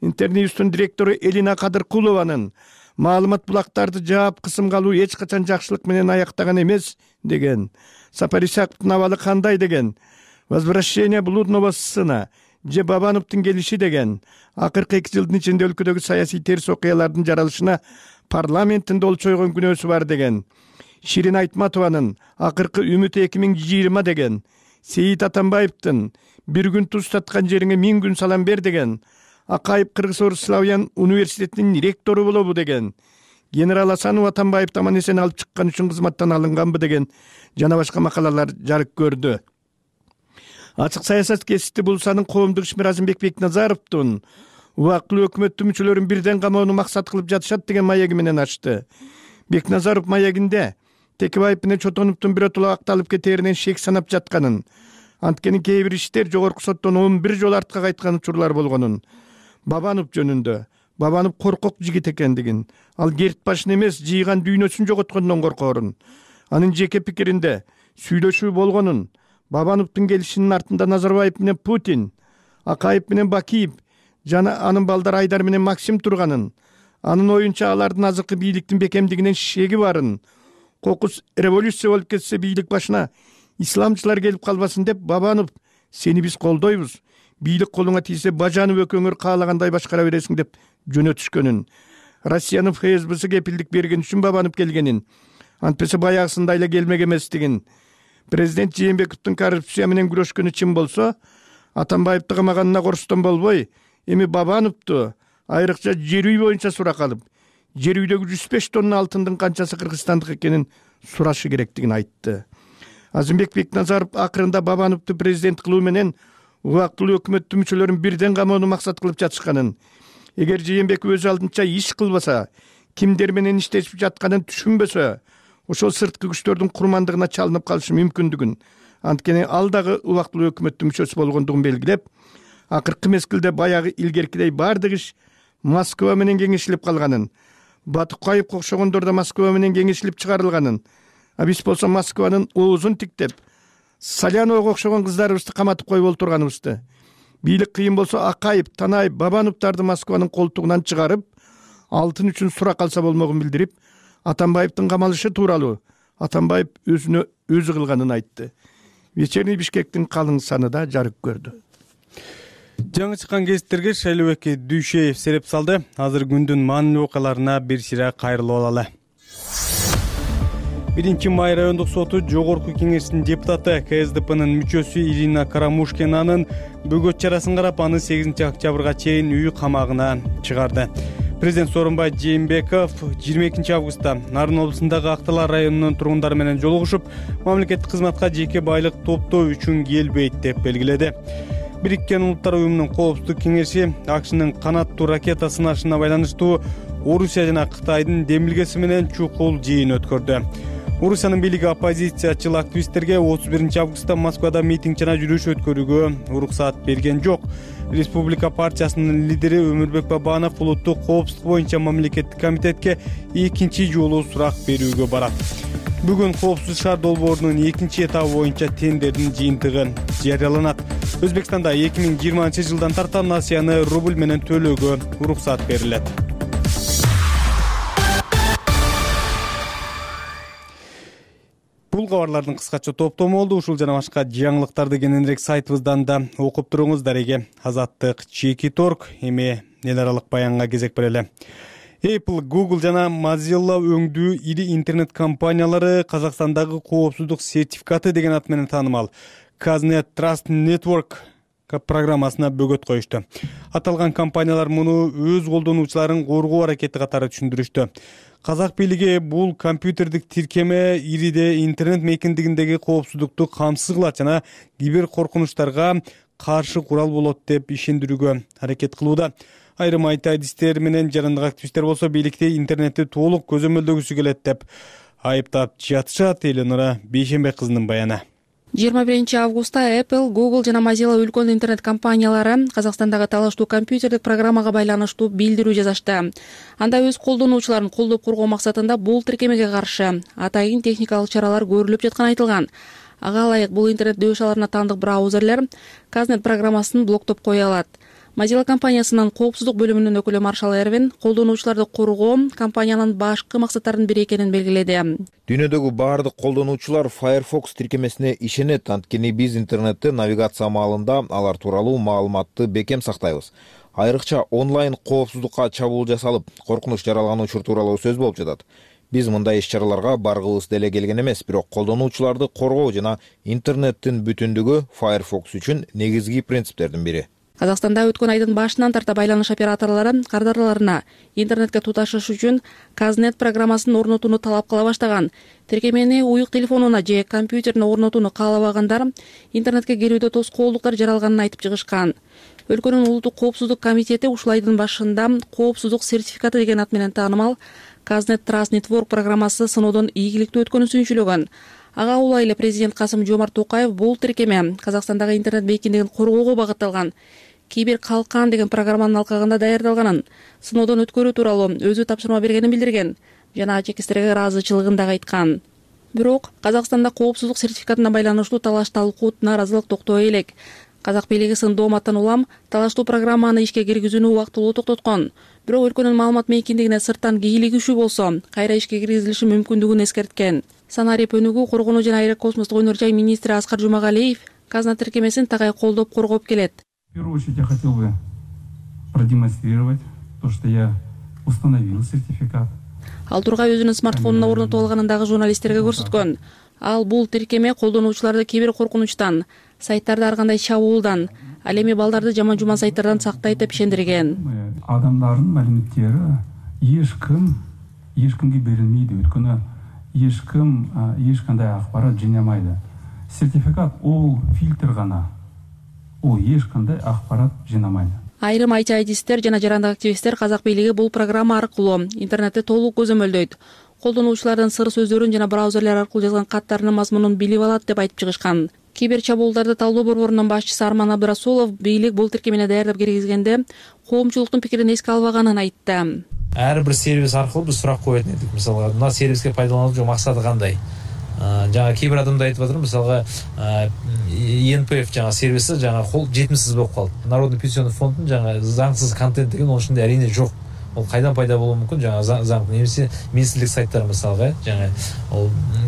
Интерньюстун директору Элина Кадыркулованын маалымат булактарды жаап кысымга алуу эч качан жакшылык менен аяктаган эмес деген, Сапар Исаковдун абалы кандай деген, возвращение блудного сына же Бабановдун келиши деген, акыркы 2 жылдын ичинде өлкөдөгү саясий терс окуялардын жаралышына парламенттин олчу койгон күнөөсү бар деген, Ширин Айтматованын акыркы үмүт 2020 деген, Сейит Атамбаевдин «Бир күн туз таткан жериңе 1000 күн салам бер» деген, Акаев Кыргыз-Орус Славян университетинин ректору болобу деген, генерал Асанов Атамбаевди аман эсен алып чыккан үчүн кызматтан алынганбы деген жана башка макалалар жарык көрдү. Ачык саясат гезити Булсанын коомдук ишмер Азимбек Бекназаровдун убактылуу өкмөттүн мүчөлөрүн бирден камоону максат кылып жатышат деген маеги менен ачты. Бекназаров маегинде Текебаев менен Чотоновдун биротоло акталып кетээринен шек санап жатканын, анткени кээ бир иштер жогорку соттон 11 жолу артка кайткан учурлар болгонун, Бабанов жөнүндө Бабанов коркок жигит экендигин, ал керт башын эмес жыйган дүйнөсүн жоготкондон коркоорун, анын жеке пикиринде сүйлөшүү болгонун, Бабановдун келишинин артында Назарбаев менен Путин, Акаев менен Бакиев жана анын балдары Айдар менен Максим турганын, анын оюнча алардын азыркы бийликтин бекемдигинен шеги барын, кокус революция болуп кетсе бийлик башына исламчылар келип калбасын деп Бабанов «Сени биз колдойбуз, бийлик колуңа тийсе Бажанов экөөңөр каалагандай башкара бересиң» деп жөнөтүшкөнүн, Россиянын ФСБсы кепилдик берген үчүн Бабанов келгенин, антпесе баягысында эле келмек эместигин, президент Жээнбековдун коррупция менен күрөшкөнү чын болсо, Атамбаевди камаганына корустон болбой, эми Бабановду айрыкча жер үй боюнча суракка алып, жер үйдөгү 105 тонна алтындын канчасы кыргызстандык экенин сурашы керектигин айтты. Азимбек Бекназаров акырында Бабановду президент кылуу менен убактылуу өкмөттүн мүчөлөрүн бирден камоону максат кылып жатышканын, эгер Жээнбеков өз алдынча иш кылбаса, кимдер менен иштешип жатканын түшүнбөсө, ошол сырткы күчтөрдүн курмандыгына чалынып калышы мүмкүндүгүн, анткени ал дагы убактылуу өкмөттүн мүчөсү болгондугун белгилеп, акыркы мезгилде баягы илгеркидей баардык иш Москва менен кеңешилип калганын, Батукаевге окшогондор да Москва менен кеңешилип чыгарылганын, биз болсо Москванын оозун тиктеп, Саляновго окшогон кыздарыбызды каматып коюп олтурганыбызды, бийлик кыйын болсо Акаев, Танаев, Бабановдорду Москванын колтугунан чыгарып, алтын үчүн сурак алса болмогун билдирип, Атамбаевдин камалышы тууралуу Атамбаев өзүнө өзү кылганын айтты. Вечерний Бишкектин калың саны да жарык көрдү. Жаңы чыккан гезиттерге Шайлообек Дүйшеев сереп салды. Азыр күндүн маанилүү окуяларына бир сыйра кайрылып алалы. 1-май райондук соту жогорку кеңештин депутаты КСДПнын мүчөсү Ирина Карамушкинанын бөгөт чарасын карап, аны 8-октябрга чейин үй камагына чыгарды. Президент Сооронбай Жээнбеков 22 августта Нарын облусундагы Актала районунун тургундары менен жолугушуп, мамлекеттик кызматка жеке байлык топтоо үчүн келбейт деп белгиледи. Бириккен Улуттар уюмунун коопсуздук кеңеши АКШнын канаттуу ракета сынашына байланыштуу Орусия жана Кытайдын демилгеси менен чукул жыйын өткөрдү. Орусиянын бийлиги оппозициячыл активисттерге 31 августта Москвада митинг жана жүрүш өткөрүүгө уруксаат берген жок. Республика партиясынын лидери Өмүрбек Бабанов улуттук коопсуздук боюнча мамлекеттик комитетке экинчи жолу сурак берүүгө барат. Бүгүн Коопсуз шаар долбоорунун экинчи этабы боюнча тендердин жыйынтыгы жарыяланат. Өзбекстанда 2020 жылдан тарта насыяны рубль менен төлөөгө уруксаат берилет. Бул кабарлардын кыскача топтому болду. Ушул жана башка жаңылыктарды кененирээк сайтыбыздан да окуп туруңуз. Дареге Азаттык Чекит.org. Эми эл аралык баянга кезек берели. Apple, Google жана Mozilla өңдүү ири интернет компаниялары Казакстандагы коопсуздук сертификаты деген ат менен таанымал Казnet Trust Network программасына бөгөт коюшту. Аталган компаниялар муну өз колдонуучуларын коргоо аракети катары түшүндүрүштү. Казак бийлиги бул компьютердик тиркеме ириде интернет мейкиндигиндеги коопсуздукту камсыз кылат жана кибер коркунучтарга каршы курал болот деп ишендирүүгө аракет кылууда. Айрым айтадистер менен жарандык активисттер болсо бийликти интернетти толук көзөмөлдөгүсү келет деп айыптап жатышат. Эленора Бейшенбек кызынын баяны. 21 августта Apple, Google жана Mozilla үлкөн интернет компаниялары Казакстандагы талаштуу компьютердик программага байланыштуу билдирүү жазышты. Анда өз колдонуучуларын колдоп коргоо максатында бул тиркемеге каршы атайын техникалык чаралар көрүлүп жатканы айтылган. Ага ылайык бул интернет дөш-аларына таандык браузерлер Казнет программасын блоктоп кое алат. Mozilla компаниясынын коопсуздук бөлүмүнүн өкүлү Маршал Эрвин колдонуучуларды коргоо компаниянын башкы максаттарынын бири экенин белгиледи. Дүйнөдөгү баардык колдонуучулар Firefox тиркемесине ишенет, анткени биз интернетте навигация маалында алар тууралуу маалыматты бекем сактайбыз. Айрыкча онлайн коопсуздукка чабуул жасалып, коркунуч жаралган учур тууралуу сөз болуп жатат. Биз мындай иш-чараларга баргыбыз деле келген эмес, бирок колдонуучуларды коргоо жана интернеттин бүтүндүгү Firefox үчүн негизги принциптердин бири. Казакстанда өткөн айдын башынан тарта байланыш операторлору кардарларына интернетке туташыш үчүн Казнет программасын орнотууну талап кыла баштаган. Тиркемени уюк телефонуна же компьютерине орнотууну каалабагандар интернетке кирүүдө тоскоолдуктар жаралганын айтып чыгышкан. Өлкөнүн улуттук коопсуздук комитети ушул айдын башында коопсуздук сертификаты деген ат менен таанымал Казнет Trust Network программасы сыноодон ийгиликтүү өткөнүн сүйүнчүлөгөн. Ага улай эле президент Касым-Жомарт Токаев бул тиркеме Казакстандагы интернет мейкиндигин коргоого багытталган Кибер калкан деген программанын алкагында даярдалганын, сыноодон өткөрүү тууралуу өзү тапшырма бергенин билдирген жана чекистерге ыраазычылыгын дагы айткан. Бирок Казакстанда коопсуздук сертификатына байланыштуу талаш-талкуу, нааразылык токтой элек. Казак бийлиги сындооматтан улам талаштуу программаны ишке киргизүүнү убактылуу токтоткон. Бирок өлкөнүн маалымат мейкиндигине сырттан кийлиги күчүү болсо, кайра ишке киргизилиши мүмкүндүгүн эскерткен. Санарип өнүгүү, коргонуу жана аэрокосмостук өнөр жай министри Аскар Жумагалиев Казна тиркемесин тагай колдоп коргоп келет. В первую очередь я хотел бы продемонстрировать то, что я установил сертификат. Ал тургай өзүнүн смартфонуна орнотуп алганын дагы журналисттерге көрсөткөн. Ал бул тиркеме колдонуучуларды кибер коркунучтан, сайттарды ар кандай чабуулдан, ал эми балдарды жаман-жуман сайттардан сактайт деп ишендирген. Адамдардын маалыматтары эч кимге берилмейди, өткөнү эч кандай акпарат жыйнамайды. Сертификат ол фильтр гана. О, эч кандай акпарат жыйнамайды. Айрым айтадистер жана жарандык активисттер Казак бийлиги бул программа аркылуу интернетти толук көзөмөлдөйт. колдонуучулардын сыр сөздөрүн жана браузерлер аркылуу жазган каттарынын мазмунун билип алат деп айтып чыгышкан. Кибер чабуулдарды талдоо борборунун башчысы Арман Абдрасулов бийлик бул тиркемени даярдап киргизгенде коомчулуктун пикирин эске албаганын айтты. Ар бир сервис аркылуу биз сурак коет элек. Мисалга, мына сервиске пайдалануучу максаты кандай? Жаңа кээ бир адамдар айтып атыр, мисалга НПФ жаңа сервиси жаңа жетимсиз болуп калды. Народный пенсионный фонддун жаңа заңсыз контент деген onun ичинде әрине жок. Ол кайдан пайда болушу мүмкүн? Жаңа заң немесе министрлик сайттары мисалга, жаңа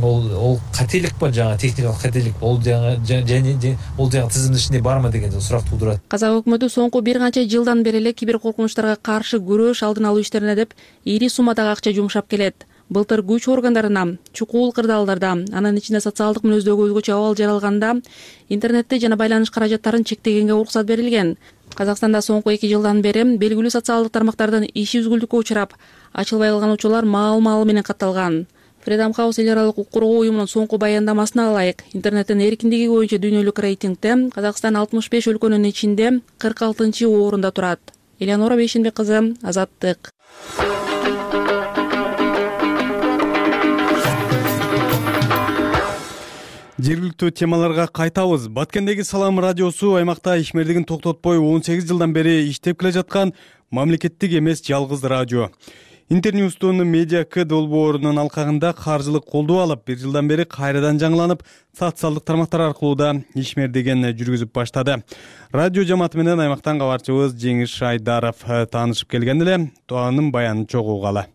ол кателик ба, жаңа техникалык кателик, ол жаңа ол жаңа тизимдин ичинде бармы деген сурак туудурат. Казак өкмөтү соңку бир канча жылдан бери эле кибер коркунучтарга каршы күрөш алдын алуу иштерине деп ири суммадагы акча жумшап келет. Былтыр күч органдарына, чукул кырдаалдарда, анын ичинде социалдык мүнөздөгү өзгөчө абал жаралганда интернетте жана байланыш каражаттарын чектегенге уруксат берилген. Казакстанда соңку 2 жылдан бери белгилүү социалдык тармактардан иши үзгүлтүккө учурап, ачылбай калган учурлар маал менен катталган. Freedom House эл аралык укук коргоо уюмунун соңку баяндамасына ылайык, интернеттин эркиндиги боюнча дүйнөлүк рейтингде Казакстан 65 өлкөнүн ичинде 46-орунда турат. Элеонора Бейшенбек кызы, Азаттык. Жергиликтүү темаларга кайтабыз. Баткендеги Салам радиосу аймакта ишмердигин токтотпой 18 жылдан бери иштеп келе жаткан мамлекеттик эмес жалгыз радио. Интерньюстун медиа К долбоорунун алкагында каржылык колдоо алып, 1 жылдан бери кайрадан жаңыланып, социалдык тармактар аркылуу да ишмердигин жүргүзүп баштады. Радио жамааты менен аймактан кабарчыбыз Жеңиш Шайдаров таанышып келген эле, анын баянын чогуу угалы.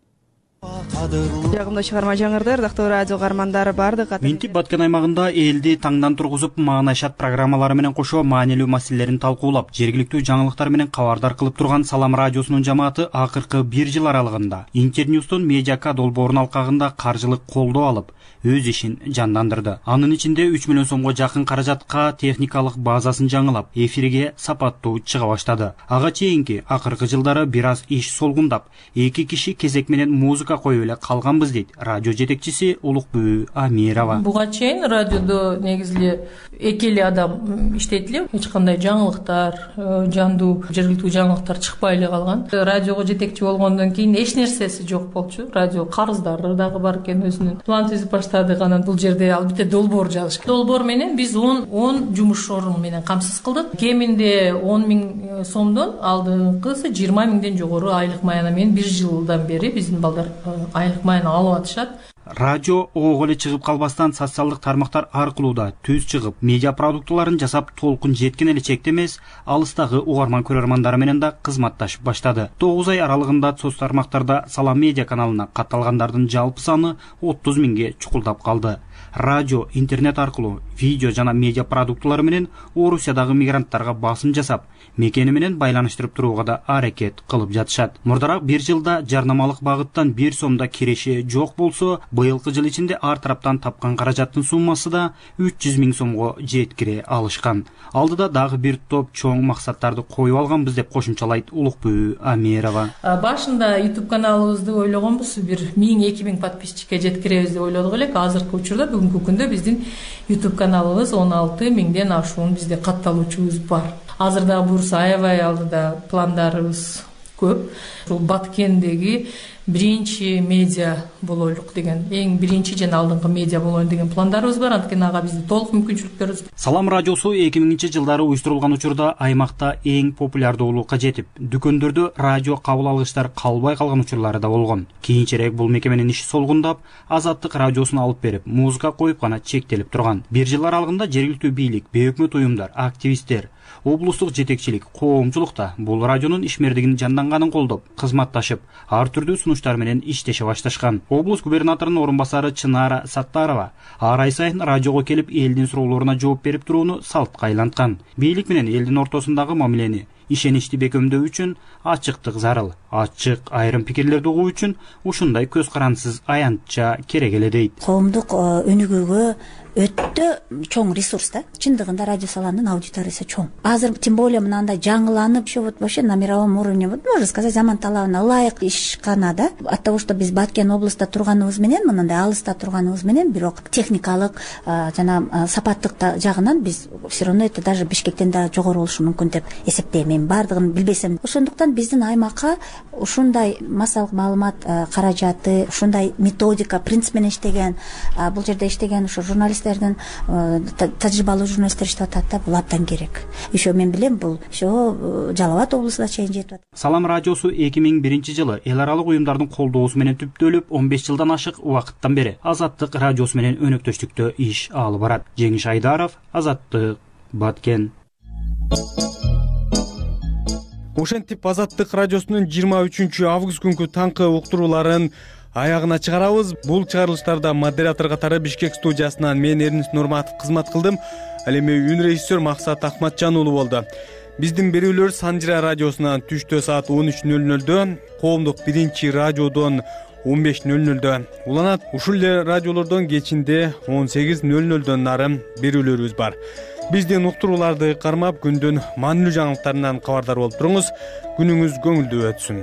Жагымдуу чыгарма жаңырды, ырдактуу радио каармандары бардык. Минтип Баткен аймагында элди таңдан тургузуп, маанайшат программалары менен кошо маанилүү маселелерин талкуулап, жергиликтүү жаңылыктар менен кабардар кылып турган Салам радиосунун жамааты акыркы 1 жыл аралыгында Интерньюстун медиака долбоорунун алкагында каржылык колдоо алып, өз ишин жандандырды. Анын ичинде 3 миллион сомго жакын каражатка техникалык базасын жаңылап, эфирге сапаттуу чыга баштады. Ага чейинки акыркы жылдары бир аз иш солгундап, 2 киши кезек менен музыка коюп эле калганбыз дейт радио жетекчиси Улукбүү Амирова. Буга чейин радиодо негизи 2 адам иштейт эле, эч кандай жаңылыктар, жандуу жергиликтүү жаңылыктар чыкпай эле калган. Радиого жетекчи болгондон кийин эч нерсеси жок болчу. Радио карыздары дагы бар экен, өзүнүн план түзүп баштадык. Анан бул жерде албетте долбоор жазыш. Долбоор менен биз 10 жумуш орун менен камсыз кылдык. Кеминде 10 000 сомдон, алдыңкысы 20 000ден жогору айлык маяна менен 1 жылдан бери биздин балдар айлык маяна алып атышат. Радио ого эле чыгып калбастан социалдык тармактар аркылуу да түз чыгып, медиа продуктуларын жасап, толкун жеткен эле чекте эмес, алыстагы угарман көрөрмандары менен да кызматташып баштады. 9 ай аралыгында соц тармактарда Салам медиа каналына катталгандардын жалпы саны 30 000ге чукулдап калды. Радио, интернет аркылуу видео жана медиа продуктулары менен Орусиядагы мигранттарга басым жасап, мекени менен байланыштырып турууга да аракет кылып жатышат. Мурдараак 1 жылда жарнамалык багыттан 1 сомда киреше жок болсо, быйылкы жыл ичинде ар тараптан тапкан каражаттын суммасы да 300 000 сомго жеткире алышкан. Алдыда дагы бир топ чоң максаттарды коюп алганбыз деп кошумчалайт Улукбүү Амирова. Башында YouTube каналыбызды ойлогонбуз, бир 1000-2000 подписчикке жеткиребиз деп ойлодук элек. Азыркы учурда бүгүнкү күндө биздин YouTube каналыбыз 16 000ден ашуун бизде катталуучубуз бар. Азырда бурса аябай алдыда пландарыбыз көп. Ушул Баткендеги биринчи медиа болойлук деген, эң биринчи жана алдыңкы медиа болоюн деген пландарыбыз бар. Анткени ага биздин толук мүмкүнчүлүктөрүбүз. Салам радиосу 2000-жылдары уюштурулган учурда аймакта эң популярдуулукка жетип, дүкөндөрдө радио кабыл алгычтар калбай калган учурлары да болгон. Кийинчерээк бул мекеменин иши солгундап, Азаттык радиосун алып берип, музыка коюп гана чектелип турган. 1 жыл аралыгында жергиликтүү бийлик, бейөкмөт уюмдар, активисттер, облустук жетекчилик, коомчулукта бул радионун ишмердигин жанданганын колдоп, кызматташып, ар түрдүү сунуштар менен иштеше башташкан. Облус губернаторунун орун басары Чынара Саттарова ар ай сайын радиого келип, элдин суроолоруна жооп берип турууну салтка айланткан. Бийлик менен элдин ортосундагы мамилени ишеничти бекемдөө үчүн ачыктык зарыл. Ачык айрым пикирлерди угуу үчүн ушундай көз карандысыз аянтча керек эле дейт. Коомдук өнүгүүгө өтө чоң ресурс да. Чындыгында радио салонунун аудиториясы чоң. Азыр тем более мынандай жаңыланып, вот вообще на мировом уровне, вот можно сказать, заман талабына ылайык ишкана да. От того, что биз Баткен областта турганыбыз менен, мындай алыста турганыбыз менен, бирок техникалык жана сапаттык жагынан биз все равно это даже Бишкектен да жогору болушу мүмкүн деп эсептейм. Мен бардыгын билбесем. Ошондуктан биздин аймакка ушундай массалык маалымат каражаты, ушундай методика, принцип менен иштеген, бул жерде иштеген ушу журналисттердин, тажрыйбалуу журналисттер иштеп атат да, бул абдан керек. Еще мен билем, бул еще Жалал Абад облусуна чейин жетип атат. Салам радиосу 2001-жылы эл аралык уюмдардын колдоосу менен түптөлүп, 15 жылдан ашык убакыттан бери Азаттык радиосу менен өнөктөштүктө иш алып барат. Жеңиш Айдаров, Азаттык, Баткен. Ошентип Азаттык радиосунун 23 август күнкү таңкы уктурууларын аягына чыгарабыз. Бул чыгарылыштарда модератор катары Бишкек студиясынан мен Эрнис Нурматов кызмат кылдым. Ал эми үн режиссер Максат Ахматжан уулу болду. Биздин берүүлөр Санжира радиосунан түштө саат 13:00, коомдук биринчи радиодон 15:00 уланат. Ушул эле радиолордон кечинде 18:00 нары берүүлөрүбүз бар. Биздин уктурууларды кармап күндүн маанилүү жаңылыктарынан кабардар болуп туруңуз. Күнүңүз көңүлдүү өтсүн.